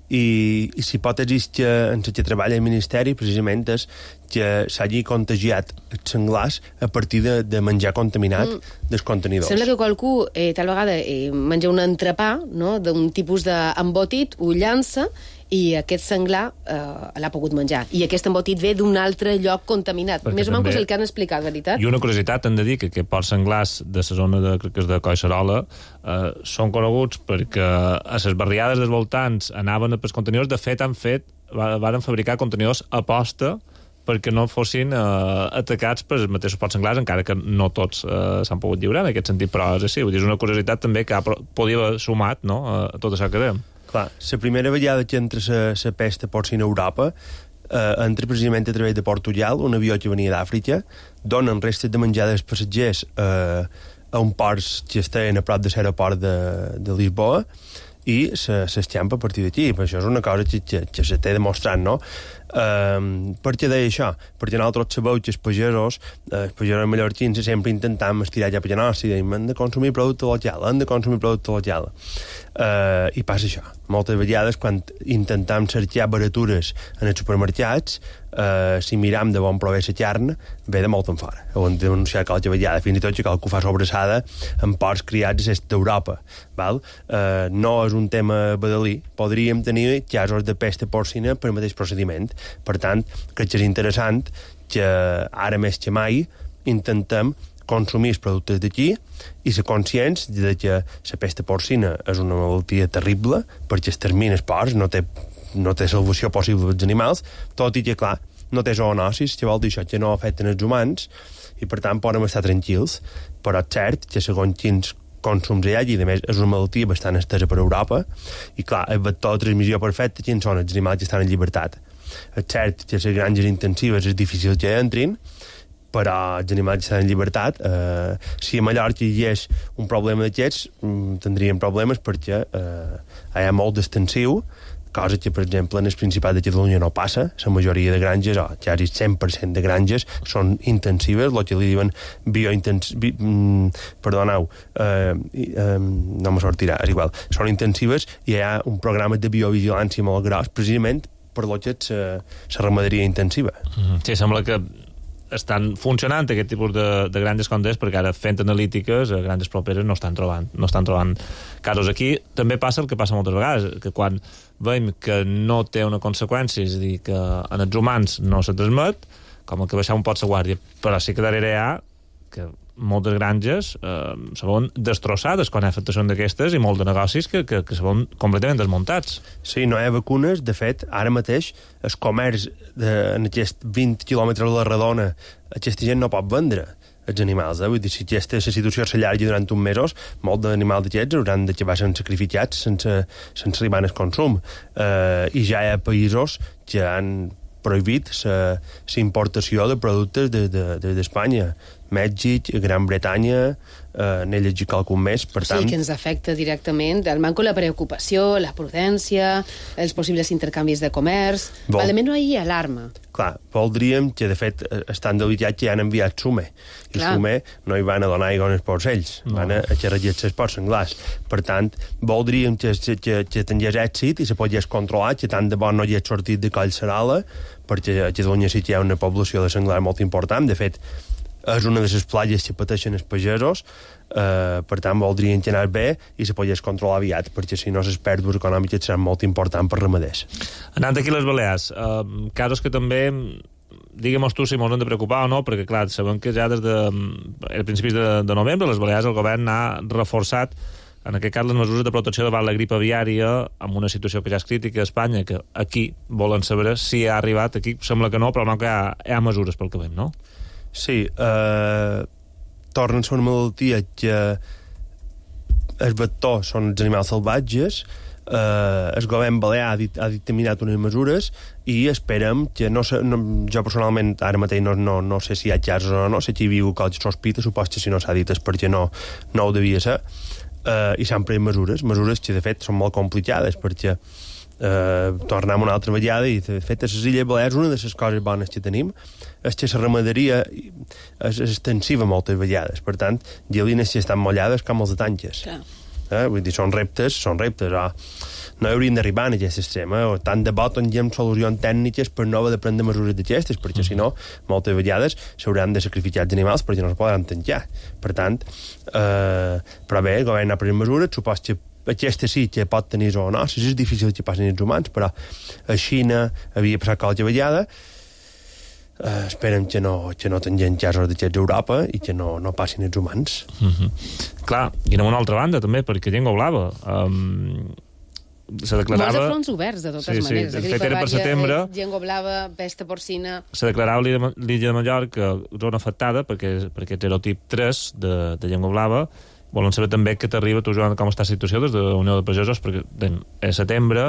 I, i l'hipòtesi que en la que treballa el Ministeri precisament és que s'hagi contagiat els senglars a partir de, de menjar contaminat mm. dels contenidors. Sembla que qualcú eh, tal vegada eh, menja un entrepà, no?, d'un tipus d'embotit, ho llança i aquest senglar eh, l'ha pogut menjar. I aquest embotit ve d'un altre lloc contaminat. Perquè més o menys és el que han explicat, veritat? I una curiositat, hem de dir que aquests porcs senglars de la zona de, crec que és de Collserola eh, són coneguts perquè a les barriades dels voltants anaven pels contenidors. De fet, han fet, varen fabricar contenidors a posta perquè no fossin eh, atacats per els mateixos porcs senglars, encara que no tots eh, s'han pogut lliurar en aquest sentit, però és així. Vull dir, és una curiositat també que ha, podia haver sumat, no?, a tot això que dèiem. Clar, la primera vegada que entra la pesta porcina a Europa eh, entra precisament a través de Portugal, un avió que venia d'Àfrica, donen restes de menjar dels passatgers eh, a un port que estaven a prop de l'aeroport de, de Lisboa, i s'escampa a partir d'aquí. Això és una cosa que, que, que se té demostrat, no? Um, per què deia això? Perquè nosaltres sabeu que els pagesos, eh, els pagesos mallorquins sempre intentam estirar ja per la nostra i dèiem, hem de consumir producte local, hem de consumir producte local. Uh, I passa això. Moltes vegades, quan intentam cercar baratures en els supermercats, uh, si miram de bon prové la carn, ve de molt en fora. Ho hem denunciat qualque vegada, fins i tot que cal que ho fa sobrassada en porcs criats a l'est d'Europa. Val? Uh, no és un tema badalí. Podríem tenir casos de pesta porcina per el mateix procediment. Per tant, crec que és interessant que ara més que mai intentem consumir els productes d'aquí i ser conscients de que la pesta porcina és una malaltia terrible perquè es termina els porcs, no té, no té salvació possible dels animals, tot i que, clar, no té zoonosis, que vol dir això, que no afecten els humans i, per tant, podem estar tranquils. Però és cert que, segons quins consums hi ha, i a més és una malaltia bastant estesa per Europa, i, clar, el vector de transmissió perfecte, quins són els animals que estan en llibertat? És cert que les granges intensives és difícil que entrin, però els animals que estan en llibertat, eh, si a Mallorca hi hagués un problema d'aquests, tindríem problemes perquè eh, hi ha molt d'extensiu, cosa que, per exemple, en el Principat de Catalunya no passa. La majoria de granges, o quasi cent per cent de granges, són intensives, el que li diuen biointensives... Bi, mm, perdoneu, eh, eh, no me sortirà, és igual. Són intensives i hi ha un programa de biovigilància molt gros, precisament per lo que és la ramaderia intensiva. Mm, sí, sembla que estan funcionant aquest tipus de, de granges com des, perquè ara fent analítiques a granges properes no estan trobant no estan trobant casos. Aquí també passa el que passa moltes vegades, que quan veiem que no té una conseqüència, és a dir, que en els humans no se transmet, com el que baixar un pot la guàrdia, però sí que darrere hi ha que moltes granges eh, se veuen destrossades quan hi ha afectacions d'aquestes i molts de negocis que, que, que se veuen completament desmuntats. Sí, no hi ha vacunes. De fet, ara mateix el comerç de, en aquests vint quilòmetres a la redona, aquesta gent no pot vendre els animals, eh? Vull dir, si aquesta situació s'allargui durant uns mesos, molts d'animals d'aquests hauran d'acabar sent sacrificats sense, sense arribar al consum. Eh, I ja hi ha països que han prohibit la importació de productes d'Espanya. De, de, Mèxic, Gran Bretanya, eh, n'he llegit qualcun més, per tant... Sí, que ens afecta directament el manco, la preocupació, la prudència, els possibles intercanvis de comerç... Vol... Almenys no hi ha alarma. Clar, voldríem que, de fet, estan delicat que han enviat sume. I Clar. sume no hi van a donar aigua als porcells, no. Van a xerrallar els porcs senglars. Per tant, voldríem que, que, que, que tingués èxit i se pogués controlar, que tant de bo no hi ha sortit de Collserola, perquè a Catalunya sí que hi ha una població de senglar molt important. De fet, és una de les platges que pateixen els pagesos, eh, per tant voldrien que anés bé i se pogués controlar aviat, perquè si no les pèrdues econòmiques seran molt importants per ramaders. Anant aquí a les Balears, eh, casos que també, digue'm tu si mos hem de preocupar o no, perquè clar, sabem que ja des de a principis de, de novembre les Balears el govern ha reforçat en aquest cas les mesures de protecció davant la grip aviària amb una situació que ja és crítica a Espanya, que aquí volen saber si ha arribat, aquí sembla que no, però no que hi ha, hi ha mesures pel que veiem, no? Sí, eh, torna a ser una malaltia que el vector són els animals salvatges, eh, el govern balear ha, dit, ha dictaminat unes mesures i esperem que, no, no, jo personalment ara mateix no, no, no sé si hi ha casos o no, sé que hi havia qualque sospita, supos que si no s'ha dit és perquè no, no ho devia ser, eh, i s'han pres mesures, mesures que de fet són molt complicades perquè Uh, tornem una altra vegada i de fet a les Illes Balears una de les coses bones que tenim és que la ramaderia és extensiva moltes vegades, per tant gelines que estan mollades com els de tanques, eh? Vull dir, són reptes són reptes, oh, no hauríem d'arribar en aquest extrem, eh? O tant de bo tinguem solucions tècniques per no haver de prendre mesures d'aquestes, perquè si no moltes vegades s'hauran de sacrificar els animals perquè no es podran tancar, per tant eh, però bé, el govern ha pres mesures, supos que aquesta sí que pot tenir zoonosis, és difícil que passin els humans, però a Xina havia passat qualque vegada, eh, esperem que no, que no tinguem casos d'aquests a Europa i que no, no passin els humans. Mm-hmm. Clar, i anem a una altra banda també, perquè Llengua Blava um, se declarava... Molts de fronts oberts, de totes sí, maneres. Sí, de fet era per setembre. Llengua Blava, pesta porcina... Se declarava l'illa de Mallorca zona afectada perquè, perquè és erotip tres de, de Llengua Blava. Volen saber també què t'arriba, tu, Joan, com està la situació des de la Unió de Pagesos, perquè a setembre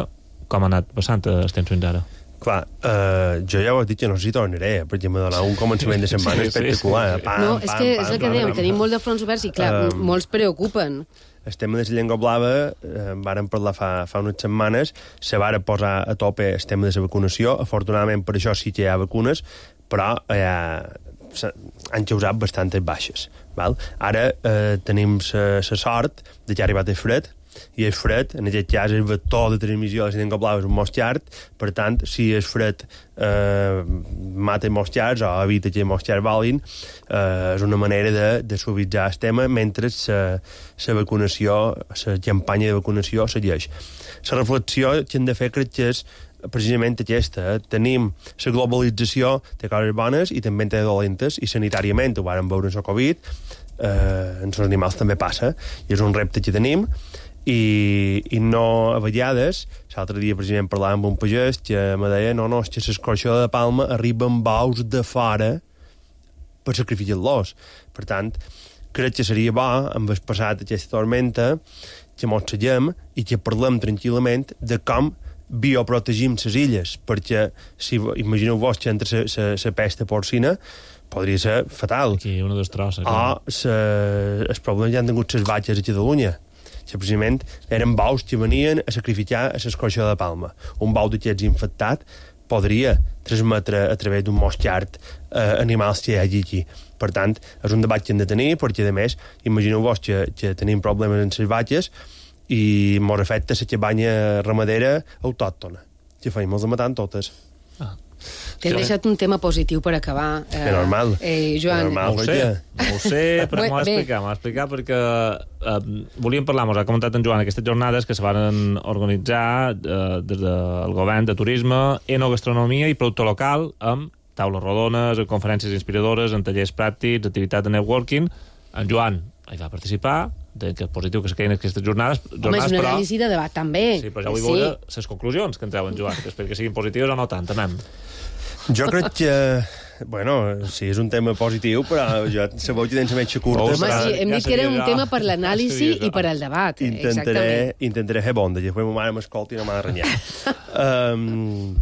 com ha anat passant el temps fins ara? Clar, eh, jo ja ho he dit que no sé si tornaré, perquè m'ha donat un començament de setmana sí, espectacular. Sí, sí. Pam, no, és que pam, és el que dèiem, tenim molt de fronts oberts i clar, um, molts preocupen. el tema de la llengua blava, eh, vàrem parlar fa, fa unes setmanes, se varen posar a tope el tema de la vacunació. Afortunadament, per això sí que hi ha vacunes, però eh, han causat bastantes baixes. Val? Ara eh, tenim la sort de que ha arribat el fred, i el fred, en aquest cas, el vector de transmissió de la llengua blava és un mosquit, per tant, si el fred eh, mata mosquits o evita que els mosquits valin, eh, és una manera de, de suavitzar el tema mentre la vacunació, la campanya de vacunació segueix. La reflexió que hem de fer crec que és precisament aquesta. Eh? Tenim la globalització, té coses bones i també té dolentes, i sanitàriament ho vàrem veure en la Covid, eh, en els animals també passa, i és un repte que tenim, i, i no a vegades, l'altre dia precisament parlàvem amb un pagès que me deia no, no, és que l'escorxó de Palma arriba amb bous de fora per sacrificar-los. Per tant, crec que seria bo, amb el passat aquesta tormenta, que mos seguem i que parlem tranquil·lament de com bioprotegim les illes, perquè si imagineu-vos que entre la pesta porcina podria ser fatal. Aquí una destrossa. O els problemes ja han tingut les batxes a Catalunya, que precisament eren bous que venien a sacrificar a l'escorxó de Palma. Un bou d'aquests infectat podria transmetre a través d'un mosquit eh, animals que hi hagi aquí. Per tant, és un debat que hem de tenir, perquè, a més, imagineu-vos que, que tenim problemes amb les batxes i mos afecta la cabanya ramadera autòctona, que feim els matant totes. Ah. T'he deixat un tema positiu per acabar. Eh, és normal. Eh, Joan. Normal, no ho sé, no ho sé, però m'ho ha d'explicar, m'ho ha d'explicar perquè eh, volíem parlar, m'ho ha comentat en Joan, aquestes jornades que se van organitzar eh, des del govern de turisme, enogastronomia i producte local, amb taules rodones, conferències inspiradores, en tallers pràctics, activitat de networking. En Joan hi va participar, que és positiu que es quedin aquestes jornades. Home, és una anàlisi de debat, també. Sí, però ja vull veure les conclusions que en treuen, Joan, que espero que siguin positives o no tant, anem. Jo crec que, bueno, sí, és un tema positiu, però jo sabeu que tens la metge curta. Home, però... sí, hem dit que era un tema per l'anàlisi i per al debat. Intentaré, intentaré fer bonda, i després ma mare m'escolta i no m'ha de renyar. um,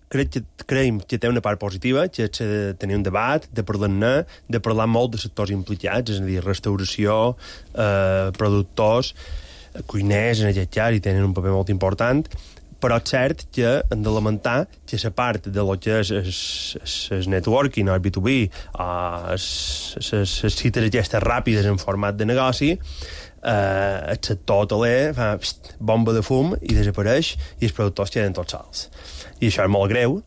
crec que, creiem que té una part positiva, que és de tenir un debat, de parlar-ne, de parlar molt de sectors implicats, és a dir, restauració, eh, productors, cuiners, en aquest cas, i tenen un paper molt important, però és cert que hem de lamentar que la part de lo que és el networking, el B dos B, les cites aquestes ràpides en format de negoci, eh, el sector hoteler fa pst, bomba de fum i desapareix i els productors queden tots sols. I això és molt greu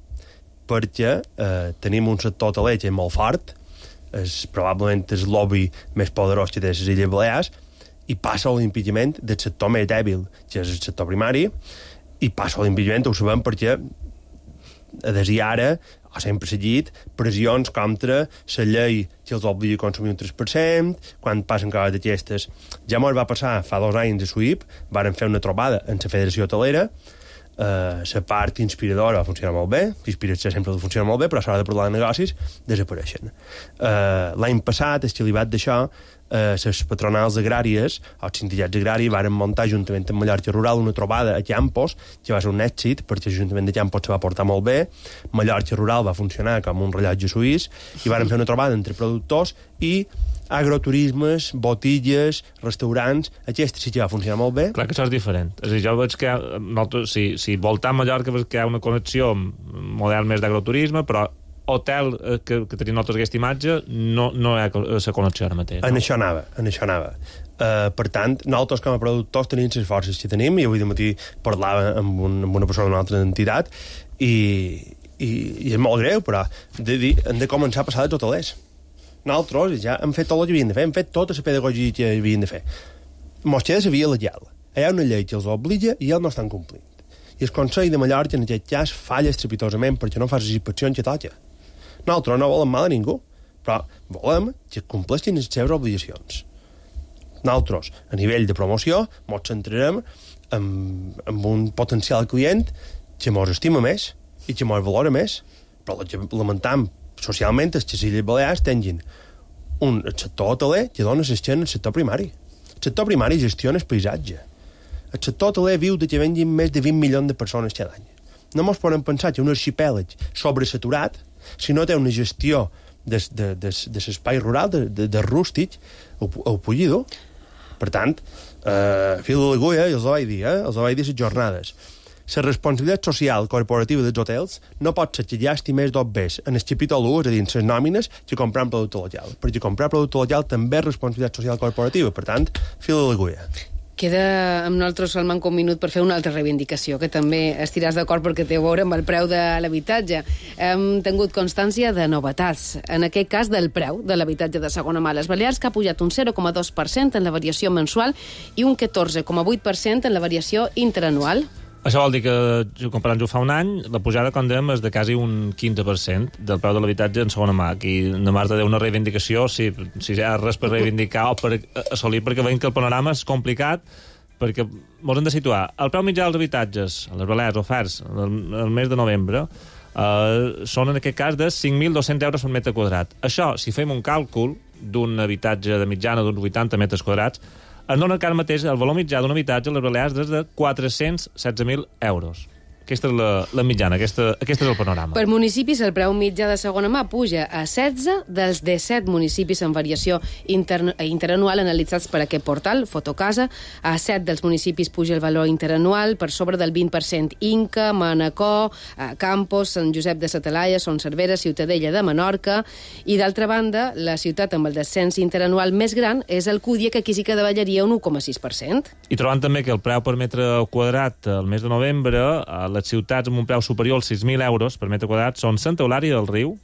perquè eh, tenim un sector hoteler que és molt fort, és probablement el lobby més poderós que té les Illes Balears, i passa l'impediment del sector més dèbil, que és el sector primari, i passa l'impediment, ho sabem, perquè des d'ara ha sempre seguit pressions contra la llei que els obliga a consumir un tres per cent, quan passen coses d'aquestes. Ja mos va passar fa dos anys a S U I P, varen fer una trobada en la Federació Hotelera, la uh, part inspiradora funciona molt bé, l'inspiració sempre funciona molt bé, però a l'hora de parlar de negocis desapareixen. Uh, L'any passat, el xilibat d'això, uh, les patronals agràries, els sindicats agraris, varen muntar juntament amb Mallorca Rural una trobada a Campos, que va ser un èxit, perquè l'Ajuntament de Campos se va portar molt bé, Mallorca Rural va funcionar com un rellotge suís, i varen fer una trobada entre productors i agroturismes, botilles, restaurants, aquesta sí que va funcionar molt bé. Clar que això és diferent. És a dir, jo veig que nosaltres, si, si voltam Mallorca veig que hi ha una connexió amb model més d'agroturisme, però hotel eh, que, que tenim nosaltres aquesta imatge no, no hi ha la connexió ara mateix. En no? això anava, en això anava. Uh, per tant, nosaltres com a productors tenim les forces que tenim, i avui de matí parlava amb, un, amb una persona d'una altra entitat, i, i, i és molt greu, però de dir, hem de començar a passar dels hotelers. Nosaltres ja hem fet tot el que havien de fer, hem fet tota la pedagogia que havien de fer. Mos queda la via legal. Hi ha una llei que els obliga i ells no estan complint. I el Consell de Mallorca, en aquest cas, falla estrepitosament perquè no fa les inspeccions que toca. Nosaltres no volem mal a ningú, però volem que compleixin les seves obligacions. Nosaltres, a nivell de promoció, mos centrarem en, en un potencial client que mos estima més i que mos valora més, però el que lamentam socialment és que les Illes Balears tinguin un sector hoteler que dona l'esquena al sector primari. El sector primari gestiona el paisatge. El sector hoteler viu de que venguin més de vint milions de persones cada any. No mos podem pensar que un arxipèlag sobresaturat, si no té una gestió de, de, de, de l'espai rural, de, de, de rústic, ho, ho pugui dur. Per tant, eh, fil de l'agulla, i els ho vaig dir, eh, els ho vaig dir les jornades. La responsabilitat social corporativa dels hotels no pot ser que gasti més dos bes en el capítol u, és a dir, en les nòmines, que comprar un producte local. Perquè comprar producte local també és responsabilitat social corporativa. Per tant, fil de l'agulla. Queda amb nosaltres, Salman, un minut per fer una altra reivindicació, que també estiràs d'acord perquè té a veure amb el preu de l'habitatge. Hem tingut constància de novetats, en aquest cas del preu de l'habitatge de segona mà a les Balears, que ha pujat un zero coma dos per cent en la variació mensual i un catorze coma vuit per cent en la variació interanual. Això vol dir que, comparant-ho fa un any, la pujada, com dèiem, és de quasi un quinze per cent del preu de l'habitatge en segona mà. Aquí, de Marta, deu una reivindicació, si, si hi ha res per reivindicar o per assolir, perquè veiem que el panorama és complicat, perquè ens hem de situar. El preu mitjà dels habitatges, a les Balears, oferts, el mes de novembre, eh, són, en aquest cas, de cinc mil dos-cents euros per metre quadrat. Això, si fem un càlcul d'un habitatge de mitjana d'uns vuitanta metres quadrats, es dona que ara mateix el valor mitjà d'un habitatge a les Balears és de quatre-cents setze mil euros. Aquesta és la, la mitjana, aquesta, aquest és el panorama. Per municipis, el preu mitjà de segona mà puja a setze dels disset municipis en variació inter, interanual analitzats per aquest portal, Fotocasa. A set dels municipis puja el valor interanual per sobre del vint per cent. Inca, Manacor, Campos, Sant Josep de sa Talaia, Son Cervera, Ciutadella de Menorca. I, d'altra banda, la ciutat amb el descens interanual més gran és Alcúdia, que aquí sí que davallaria un u coma sis per cent. I trobant també que el preu per metre quadrat al mes de novembre, a les ciutats amb un preu superior als sis mil euros per metre quadrat són Santa Eulària del Riu,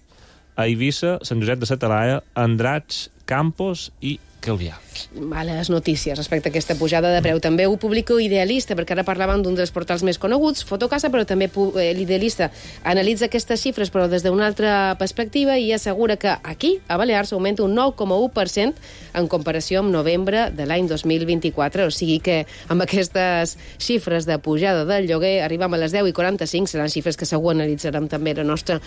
Eivissa, Sant Josep de sa Talaia, Andratx, Campos i Calvià. Males notícies respecte a aquesta pujada de preu. També ho publica Idealista, perquè ara parlaven d'un dels portals més coneguts, Fotocasa, però també l'Idealista analitza aquestes xifres, però des d'una altra perspectiva, i assegura que aquí, a Balears, augmenta un nou coma u per cent en comparació amb novembre de l'any dos mil vint-i-quatre. O sigui que amb aquestes xifres de pujada del lloguer arribem a les deu i quaranta-cinc, seran xifres que segur analitzarem també la nostra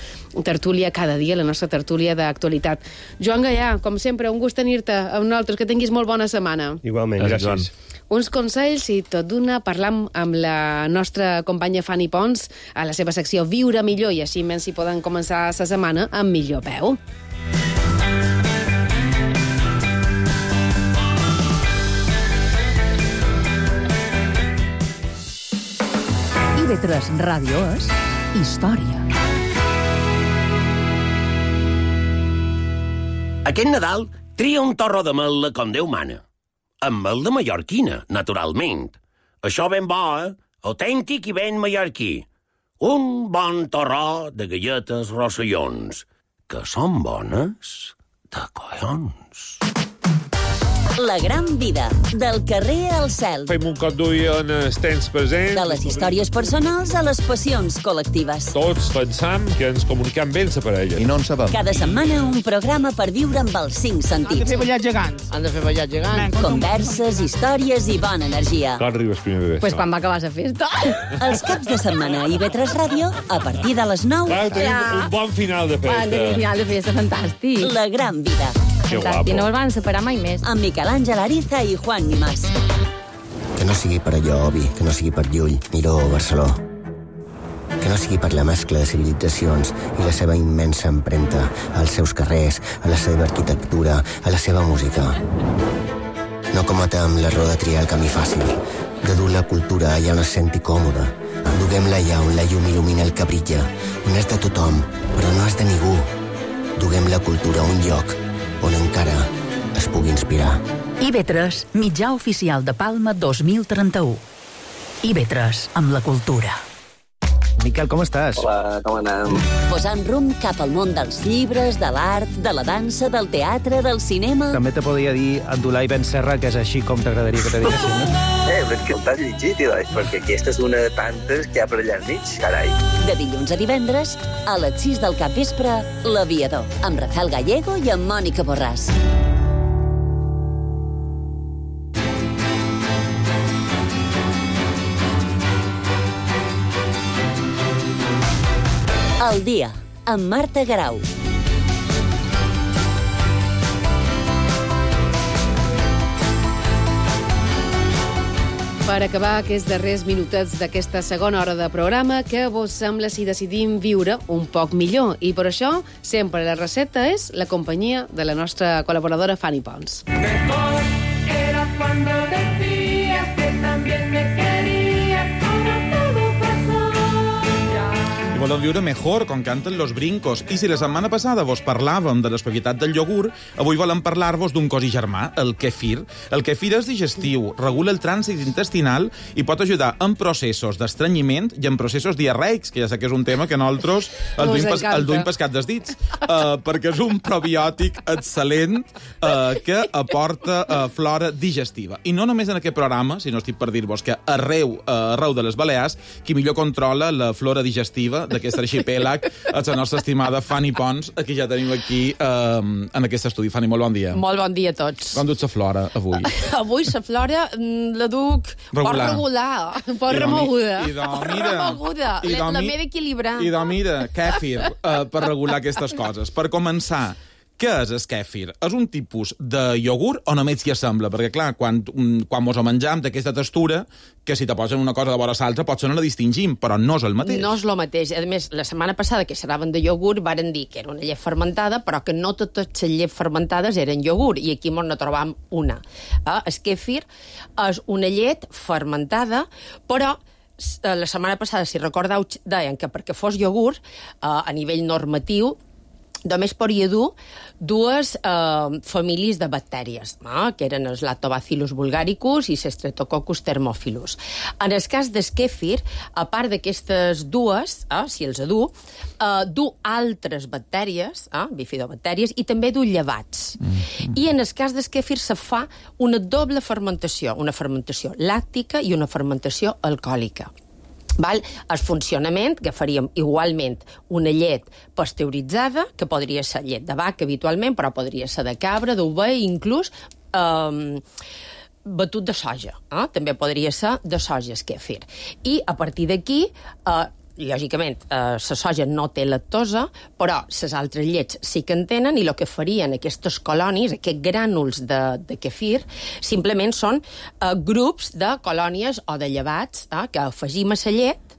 tertúlia cada dia, la nostra tertúlia d'actualitat. Joan Gaià, com sempre, un gust tenir-te amb nosaltres, que tinguis molt bona setmana. Igualment, gràcies. Uns consells i tot d'una parlam amb la nostra companya Fanny Pons a la seva secció Viure millor, i així menys si poden començar la setmana amb millor peu. I ve tres Ràdio és història. Aquest Nadal tria un torró de mel com Déu mana. Amb mel de mallorquina, naturalment. Això ben bo, eh? Autèntic i ben mallorquí. Un bon torró de galletes rossellons, que són bones de collons. La gran vida, del carrer al cel. Fem un cop d'ull en els temps presents. De les històries personals a les passions col·lectives. Tots pensam que ens comunicam bé la parella. I no en sabem. Cada setmana un programa per viure amb els cinc sentits. Han de fer ballar gegants. Han de fer ballar gegants. Converses, històries i bona energia. Quan arribes primer de Pues quan va acabar la festa. Els caps de setmana a I V tres Ràdio, a partir de les nou. Clar, tenim ja. un bon final de festa. Un final de festa fantàstic. La gran vida. Que guapo. I no el van separar mai més. Amb Miquel Àngel Ariza i Juan Nimás. Que no sigui per allò, Obi, que no sigui per Llull, Miró o Barceló. Que no sigui per la mescla de civilitzacions i la seva immensa empremta als seus carrers, a la seva arquitectura, a la seva música. No cometem l'error de triar el camí fàcil, de dur la cultura allà on es senti còmoda. Duguem-la allà on la llum il·lumina el que brilla, on és de tothom, però no és de ningú. Duguem la cultura a un lloc on encara es pugui inspirar. I V tres, mitjà oficial de Palma dos mil trenta-u. I V tres, amb la cultura. Miquel, com estàs? Hola, com anem? Posant rumb cap al món dels llibres, de l'art, de la dansa, del teatre, del cinema... També te podria dir Abdulai Ben Serra, que és així com t'agradaria que te diguessin, no? Eh, però és que el t'has llegit, doncs, perquè aquesta és una de tantes que hi ha per allà enmig, carai. De dilluns a divendres, a les sis del capvespre, L'Aviador, amb Rafael Gallego i amb Mònica Borràs. El dia, amb Marta Garau. Per acabar aquests darrers minutets d'aquesta segona hora de programa, què vos sembla si decidim viure un poc millor? I per això, sempre la recepta és la companyia de la nostra col·laboradora Fanny Pons. Mejor era cuando volem viure mejor, com canten los brincos. I si la setmana passada vos parlàvem de les propietats del iogurt, avui volem parlar-vos d'un cos i germà, el kefir. El kefir és digestiu, regula el trànsit intestinal i pot ajudar en processos d'estrenyiment i en processos diarreics, que ja sé que és un tema que nosaltres el duim, pas, el duim pescat dels dits, uh, perquè és un probiòtic excel·lent uh, que aporta uh, flora digestiva. I no només en aquest programa, sinó estic per dir-vos que arreu, uh, arreu de les Balears, qui millor controla la flora digestiva d'aquest arxipèlag és la nostra estimada Fanny Pons, que ja tenim aquí eh, en aquest estudi. Fanny, molt bon dia. Molt bon dia a tots. Com duts la flora, avui? Avui la flora la duc pot regular, pot remoguda. I doncs, mira... remoguda, la m'he d'equilibrar. I doncs, mira, kèfir, eh, per regular aquestes coses. Per començar, què és el kèfir? És un tipus de iogurt o només s'hi assembla? Perquè, clar, quan, quan mos ho menjam d'aquesta textura, que si te posen una cosa de vora l'altra, potser no la distingim, però no és el mateix. No és el mateix. A més, la setmana passada que xerraven de iogurt varen dir que era una llet fermentada, però que no totes les llets fermentades eren iogurt, i aquí no trobam una. Eh? El kèfir és una llet fermentada, però la setmana passada, si recordeu, deien que perquè fos iogurt, eh, a nivell normatiu, només podia dur dues eh, famílies de bactèries, eh, que eren els Lactobacillus bulgaricus i Streptococcus thermophilus. En el cas del kèfir, a part d'aquestes dues, eh, si els du, eh, du altres bactèries, eh, bifidobactèries, i també du llevats. Mm-hmm. I en el cas del kèfir se fa una doble fermentació, una fermentació làctica i una fermentació alcohòlica. Val? El funcionament, que faríem igualment una llet pasteuritzada, que podria ser llet de vaca habitualment, però podria ser de cabra, d'ovella, inclús eh, batut de soja. Eh? També podria ser de soja, el kèfir. I a partir d'aquí... Eh, lògicament, eh, la soja no té lactosa, però les altres llets sí que en tenen, i el que farien aquestes colònies, aquests grànuls de, de kefir, simplement són eh, grups de colònies o de llevats eh, que afegim a la llet,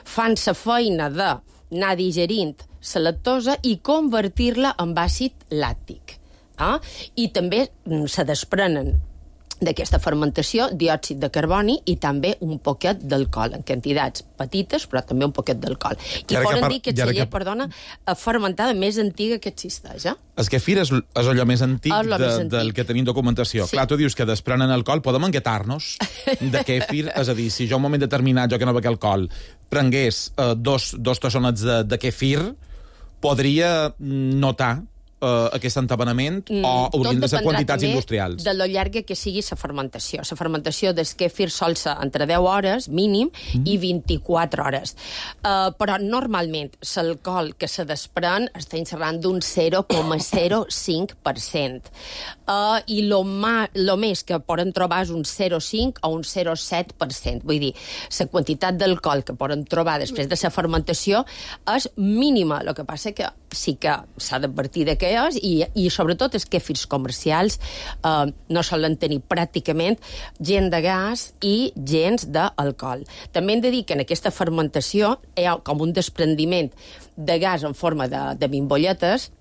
fan la feina d'anar digerint la lactosa i convertir-la en àcid làctic. Eh? I també se desprenen d'aquesta fermentació, diòxid de carboni i també un poquet d'alcohol, en quantitats petites, però també un poquet d'alcohol. I poden dir que és la llet, que... perdona, fermentada més antiga que existeix, eh? El kefir és, és allò més antic, de, més antic del que tenim documentació. Sí. Clar, tu dius que desprenen alcohol, podem enguetar-nos de kefir, és a dir, si jo en un moment determinat, jo que no bec alcohol, prengués eh, dos, dos tassonets de, de kefir, podria notar Uh, aquest entabanament mm, o haurien de ser quantitats industrials? De lo llarga que sigui la fermentació. La fermentació del kefir sol ser entre deu hores, mínim, mm. i vint-i-quatre hores. Uh, però normalment l'alcohol que se desprèn està xerrant d'un zero coma zero cinc per cent. Uh, I lo, ma, lo més que poden trobar és un zero coma cinc o un zero coma set per cent. Vull dir, la quantitat d'alcohol que poden trobar després de la fermentació és mínima. El que passa que sí que s'ha d'advertir de què és, i, i sobretot els kèfirs comercials eh, no solen tenir pràcticament gent de gas i gens d'alcohol. També hem de dir que en aquesta fermentació hi ha com un desprendiment de gas en forma de, de bimbolletes,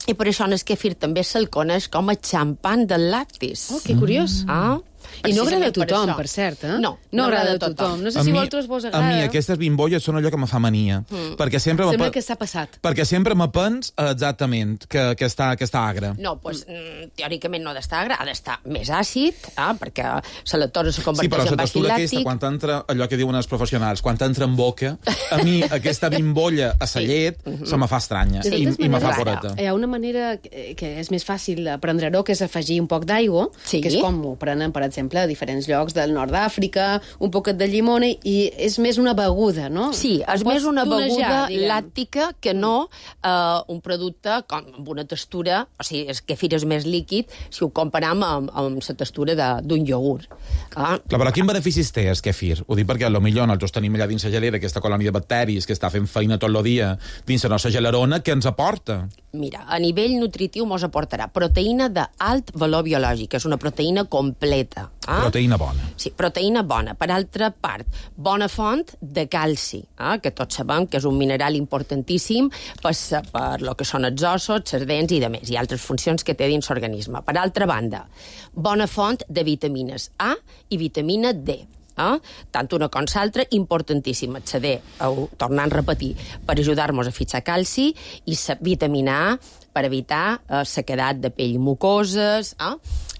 i per això en el kèfir també se'l coneix com a xampan del lactis. Oh, que curiós. Mm. Ah? I no agrada a tothom, per cert, eh? No, no, no agrada a tothom. No sé si vosaltres vos agrada. A mi aquestes bimbolles són allò que me fa mania. Mm. Perquè sempre Sembla que s'ha passat. Perquè sempre me pens exactament que, que, està, que està agre. No, doncs, mm, teòricament no ha d'estar agre, ha d'estar més àcid, eh, perquè la lactosa se converteix sí, però en la textura bacil·làctic. aquesta, quan entra, allò que diuen els professionals, quan entra en boca, a mi aquesta bimbolla a la llet sí. se me fa estranya sí. i, i me fa poreta. Hi ha una manera que és més fàcil prendre-ho, que és afegir un poc d'aigua, sí. que és com ho prenen, per exemple, a diferents llocs del nord d'Àfrica, un poquet de llimona, i és més una beguda, no? Sí, és més una beguda làctica que no eh, un producte com, amb una textura, o sigui, el kefir és més líquid si ho comparam amb, amb la textura d'un iogurt. Ah. Clar, però quin beneficis té el kefir? Ho dic perquè potser nosaltres tenim allà dins la gelera aquesta colònia de bacteris que està fent feina tot el dia dins la nostra gelerona, què ens aporta? Mira, a nivell nutritiu mos aportarà proteïna d'alt valor biològic, és una proteïna completa. Ah? Proteïna bona. Sí, proteïna bona. Per altra part, bona font de calci, eh? que tots sabem que és un mineral importantíssim per, per lo que són els ossos, les dents i de més, i altres funcions que té dins l'organisme. Per altra banda, bona font de vitamines A i vitamina D. Eh? Tant una com l'altra, importantíssim accedir, a, tornant a repetir, per ajudar-nos a fixar calci i vitamina A per evitar eh, sequedat de pell i mucoses, eh?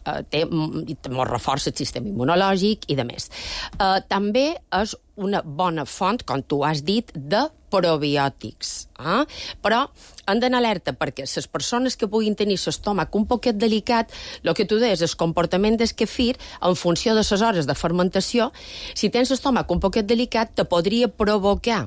Uh, té, molt reforça el sistema immunològic i de més. Uh, també és una bona font, com tu has dit, de probiòtics. Eh? Però han d'anar alerta perquè les persones que puguin tenir l'estómac un poquet delicat, el que tu deies, el comportament del kefir, en funció de les hores de fermentació, si tens l'estómac un poquet delicat, te podria provocar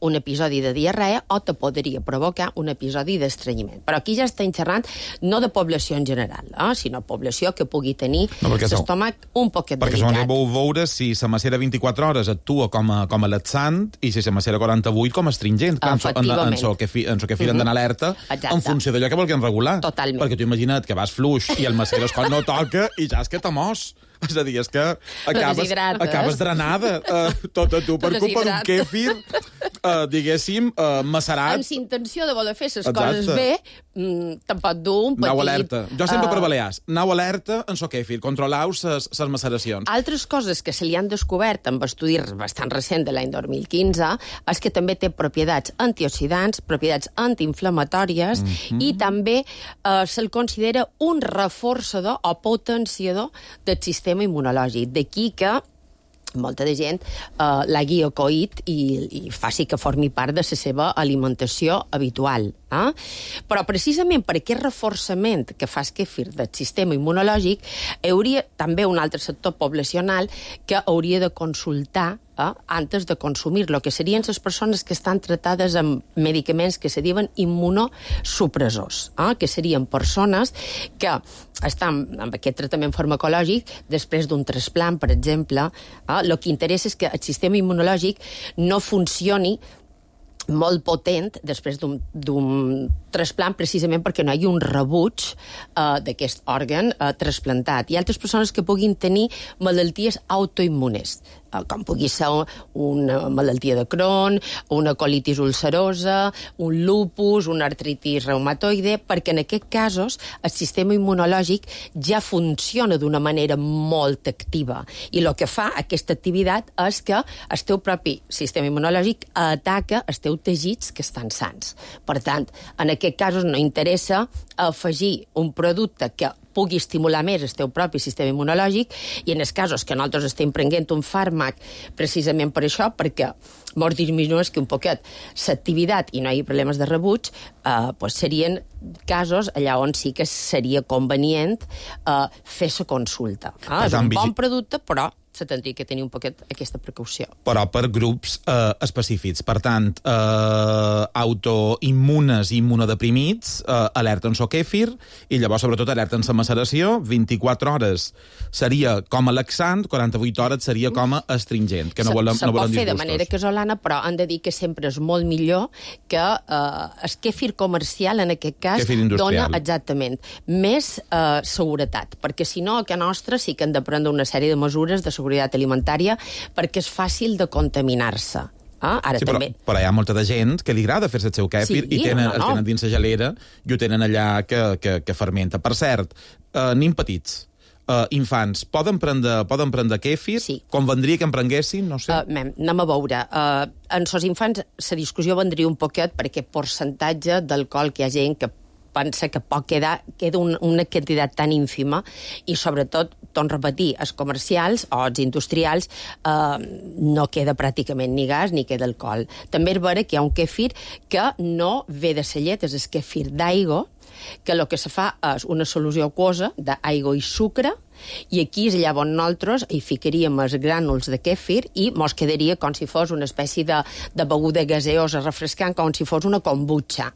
un episodi de diarrea o te podria provocar un episodi d'estrenyiment. Però aquí ja estem xerrant no de població en general, eh? sinó població que pugui tenir no, l'estómac un poquet perquè delicat. Perquè vau veure si la macera vint-i-quatre hores actua com a, com a laxant i si la macera quaranta-vuit com a astringent. Clar, efectivament. En so que fi, en so que firen mm -hmm. d'anar alerta Exacte. en funció d'allò que vulguin regular. Totalment. Perquè tu imagina't que vas fluix i el macera quan no toca i ja és que t'ha mos. És a dir, és que acabes, acabes drenada uh, tota tu per culpa d'un kefir, uh, diguéssim, uh, macerat. Amb intenció de voler fer les coses bé, mm, te'n pot dur un petit... Nau alerta. Jo sempre uh, per Balears. Nau alerta en so kefir. Controleu ses maceracions. Altres coses que se li han descobert amb estudis bastant recent de l'any dos mil quinze és que també té propietats antioxidants, propietats antiinflamatòries mm -hmm. i també uh, se'l considera un reforçador o potenciador del sistema immunològic. D'aquí que molta de gent eh, l'hagi acoït i, i faci que formi part de la seva alimentació habitual. Eh? Però precisament per aquest reforçament que fa el kefir del sistema immunològic, hi hauria també un altre sector poblacional que hauria de consultar eh, antes de consumir-lo, que serien les persones que estan tratades amb medicaments que se diuen immunosupressors, eh? que serien persones que estan amb aquest tractament farmacològic després d'un trasplant, per exemple. Eh? El que interessa és que el sistema immunològic no funcioni molt potent després d'un trasplant, precisament perquè no hi ha un rebuig uh, d'aquest òrgan uh, trasplantat. Hi ha altres persones que puguin tenir malalties autoimmunes, uh, com pugui ser una malaltia de Crohn, una colitis ulcerosa, un lupus, una artritis reumatoide, perquè en aquests casos el sistema immunològic ja funciona d'una manera molt activa. I el que fa aquesta activitat és que el teu propi sistema immunològic ataca els teus teixits que estan sants. Per tant, en aquests casos no interessa afegir un producte que pugui estimular més el teu propi sistema immunològic i en els casos que nosaltres estem prenent un fàrmac precisament per això, perquè mos disminueix que un poquet l'activitat i no hi ha problemes de rebuig, eh, pues serien casos allà on sí que seria convenient eh, fer la consulta. Ah, és un bon producte, però se tindria que tenir un poquet aquesta precaució. Però per grups eh, específics. Per tant, eh, autoimmunes i immunodeprimits eh, alerten so kefir i llavors, sobretot, alerten la maceració. vint-i-quatre hores seria com a laxant, quaranta-vuit hores seria com a astringent, que no volem, se, no se volem pot fer disgustos. de manera casolana, però han de dir que sempre és molt millor que eh, el kefir comercial, en aquest cas, dona exactament més eh, seguretat, perquè si no, a casa nostra sí que han de prendre una sèrie de mesures de seguretat alimentària perquè és fàcil de contaminar-se. Ah, ara sí, també... però, però hi ha molta de gent que li agrada fer-se el seu kefir sí, i tenen, no, no. el tenen dins la gelera i ho tenen allà que, que, que fermenta. Per cert, eh, nin petits, eh, infants, poden prendre, poden prendre kefir? Sí. Convendria que en prenguessin? No sé. Uh, mem, anem a veure. Uh, en els infants la discussió vendria un poquet per aquest percentatge d'alcohol que hi ha gent que pensa que pot quedar, queda un, una quantitat tan ínfima i, sobretot, torno a repetir, els comercials o els industrials eh, no queda pràcticament ni gas ni queda alcohol. També és vera que hi ha un kefir que no ve de la llet, és el kefir d'aigua, que el que se fa és una solució aquosa d'aigua i sucre, i aquí és allà on nosaltres hi ficaríem els grànuls de kefir i mos quedaria com si fos una espècie de, de beguda gaseosa refrescant, com si fos una kombucha.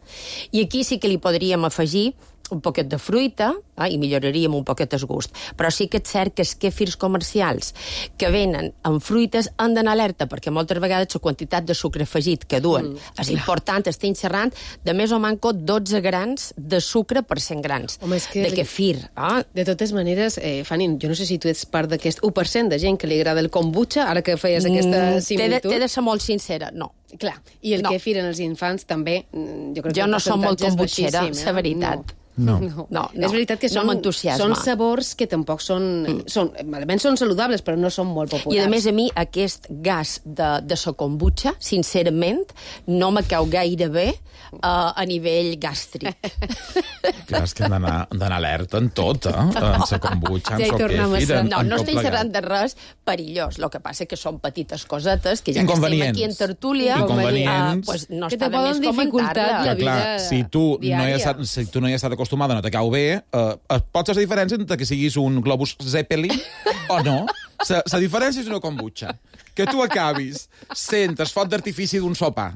I aquí sí que li podríem afegir un poquet de fruita eh, i milloraríem un poquet el gust. Però sí que és cert que els kefirs comercials que venen amb fruites han d'anar alerta, perquè moltes vegades la quantitat de sucre afegit que duen mm. és important, estem xerrant de més o manco dotze grans de sucre per cent grans Home, és que de kefir. Eh? De totes maneres, eh, Fanny, jo no sé si tu ets part d'aquest u per cent de gent que li agrada el kombucha, ara que feies aquesta similitud. T'he de, de ser molt sincera, no. Clar, i el no. kefir en els infants també, jo crec que jo el no som molt percentatge és kombutxera, baixíssim, la eh? veritat. No. No. No. No, no. És veritat que No són, m'entusiasma. són sabors que tampoc són... Mm. són almenys són saludables, però no són molt populars. I, a més, a mi, aquest gas de, de la kombucha, sincerament, no me cau gaire bé uh, a nivell gàstric. Clar, és que hem d'anar d'anar alerta en tot, eh? En la kombucha, en Ja hi el tornem a kefir, ser. en, No, en no tot estem plegat. xerrant de res perillós. El que passa que són petites cosetes que ja que estem Inconvenients. aquí en tertúlia, Inconvenients. uh, pues no Que està te de més poden dificultar comentar-la. la Que, clar, vida si tu, no hi diària. has, estat- si tu no hi has estat acostumada, no te cau bé, eh, pots ser la diferència entre que siguis un globus Zeppelin o no. La diferència és una kombucha. Que tu acabis sent el foc d'artifici d'un sopar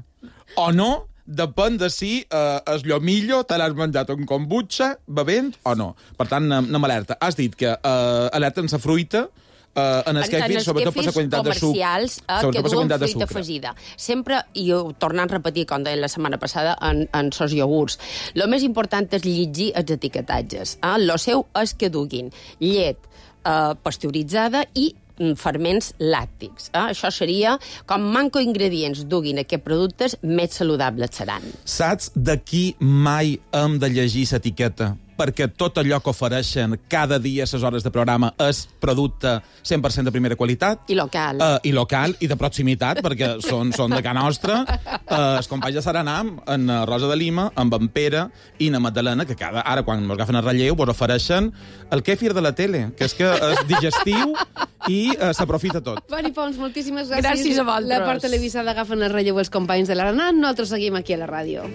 o no, depèn de si eh, el llomillo te l'has menjat un kombucha bevent o no. Per tant, no, no m'alerta. Has dit que eh, alerta en la fruita, Uh, en el kefir, sobretot per la quantitat de suc. Comercials eh, que Sobretot per la duen quantitat de fruita sucre. afegida. Sempre, i ho tornant a repetir, com deia la setmana passada, en, en sos iogurts, el més important és llegir els etiquetatges. Eh? Lo seu és que duguin llet eh, pasteuritzada i mm, ferments làctics. Eh? Això seria, com manco ingredients duguin aquests productes, més saludables seran. Saps de qui mai hem de llegir l'etiqueta? Perquè tot allò que ofereixen cada dia a les hores de programa és producte cent per cent de primera qualitat. I local. Uh, I local, i de proximitat, perquè són, són de casa nostra. Uh, els companys de Saranam, en uh, Rosa de Lima, amb en Pere i en Magdalena, que cada, ara, quan ens agafen el relleu, vos ofereixen el kefir de la tele, que és que és digestiu i uh, s'aprofita tot. Mari Pons, moltíssimes gràcies. Gràcies a vosaltres. La part televisada agafen el relleu els companys de l'Aranat. Nosaltres seguim aquí a la ràdio.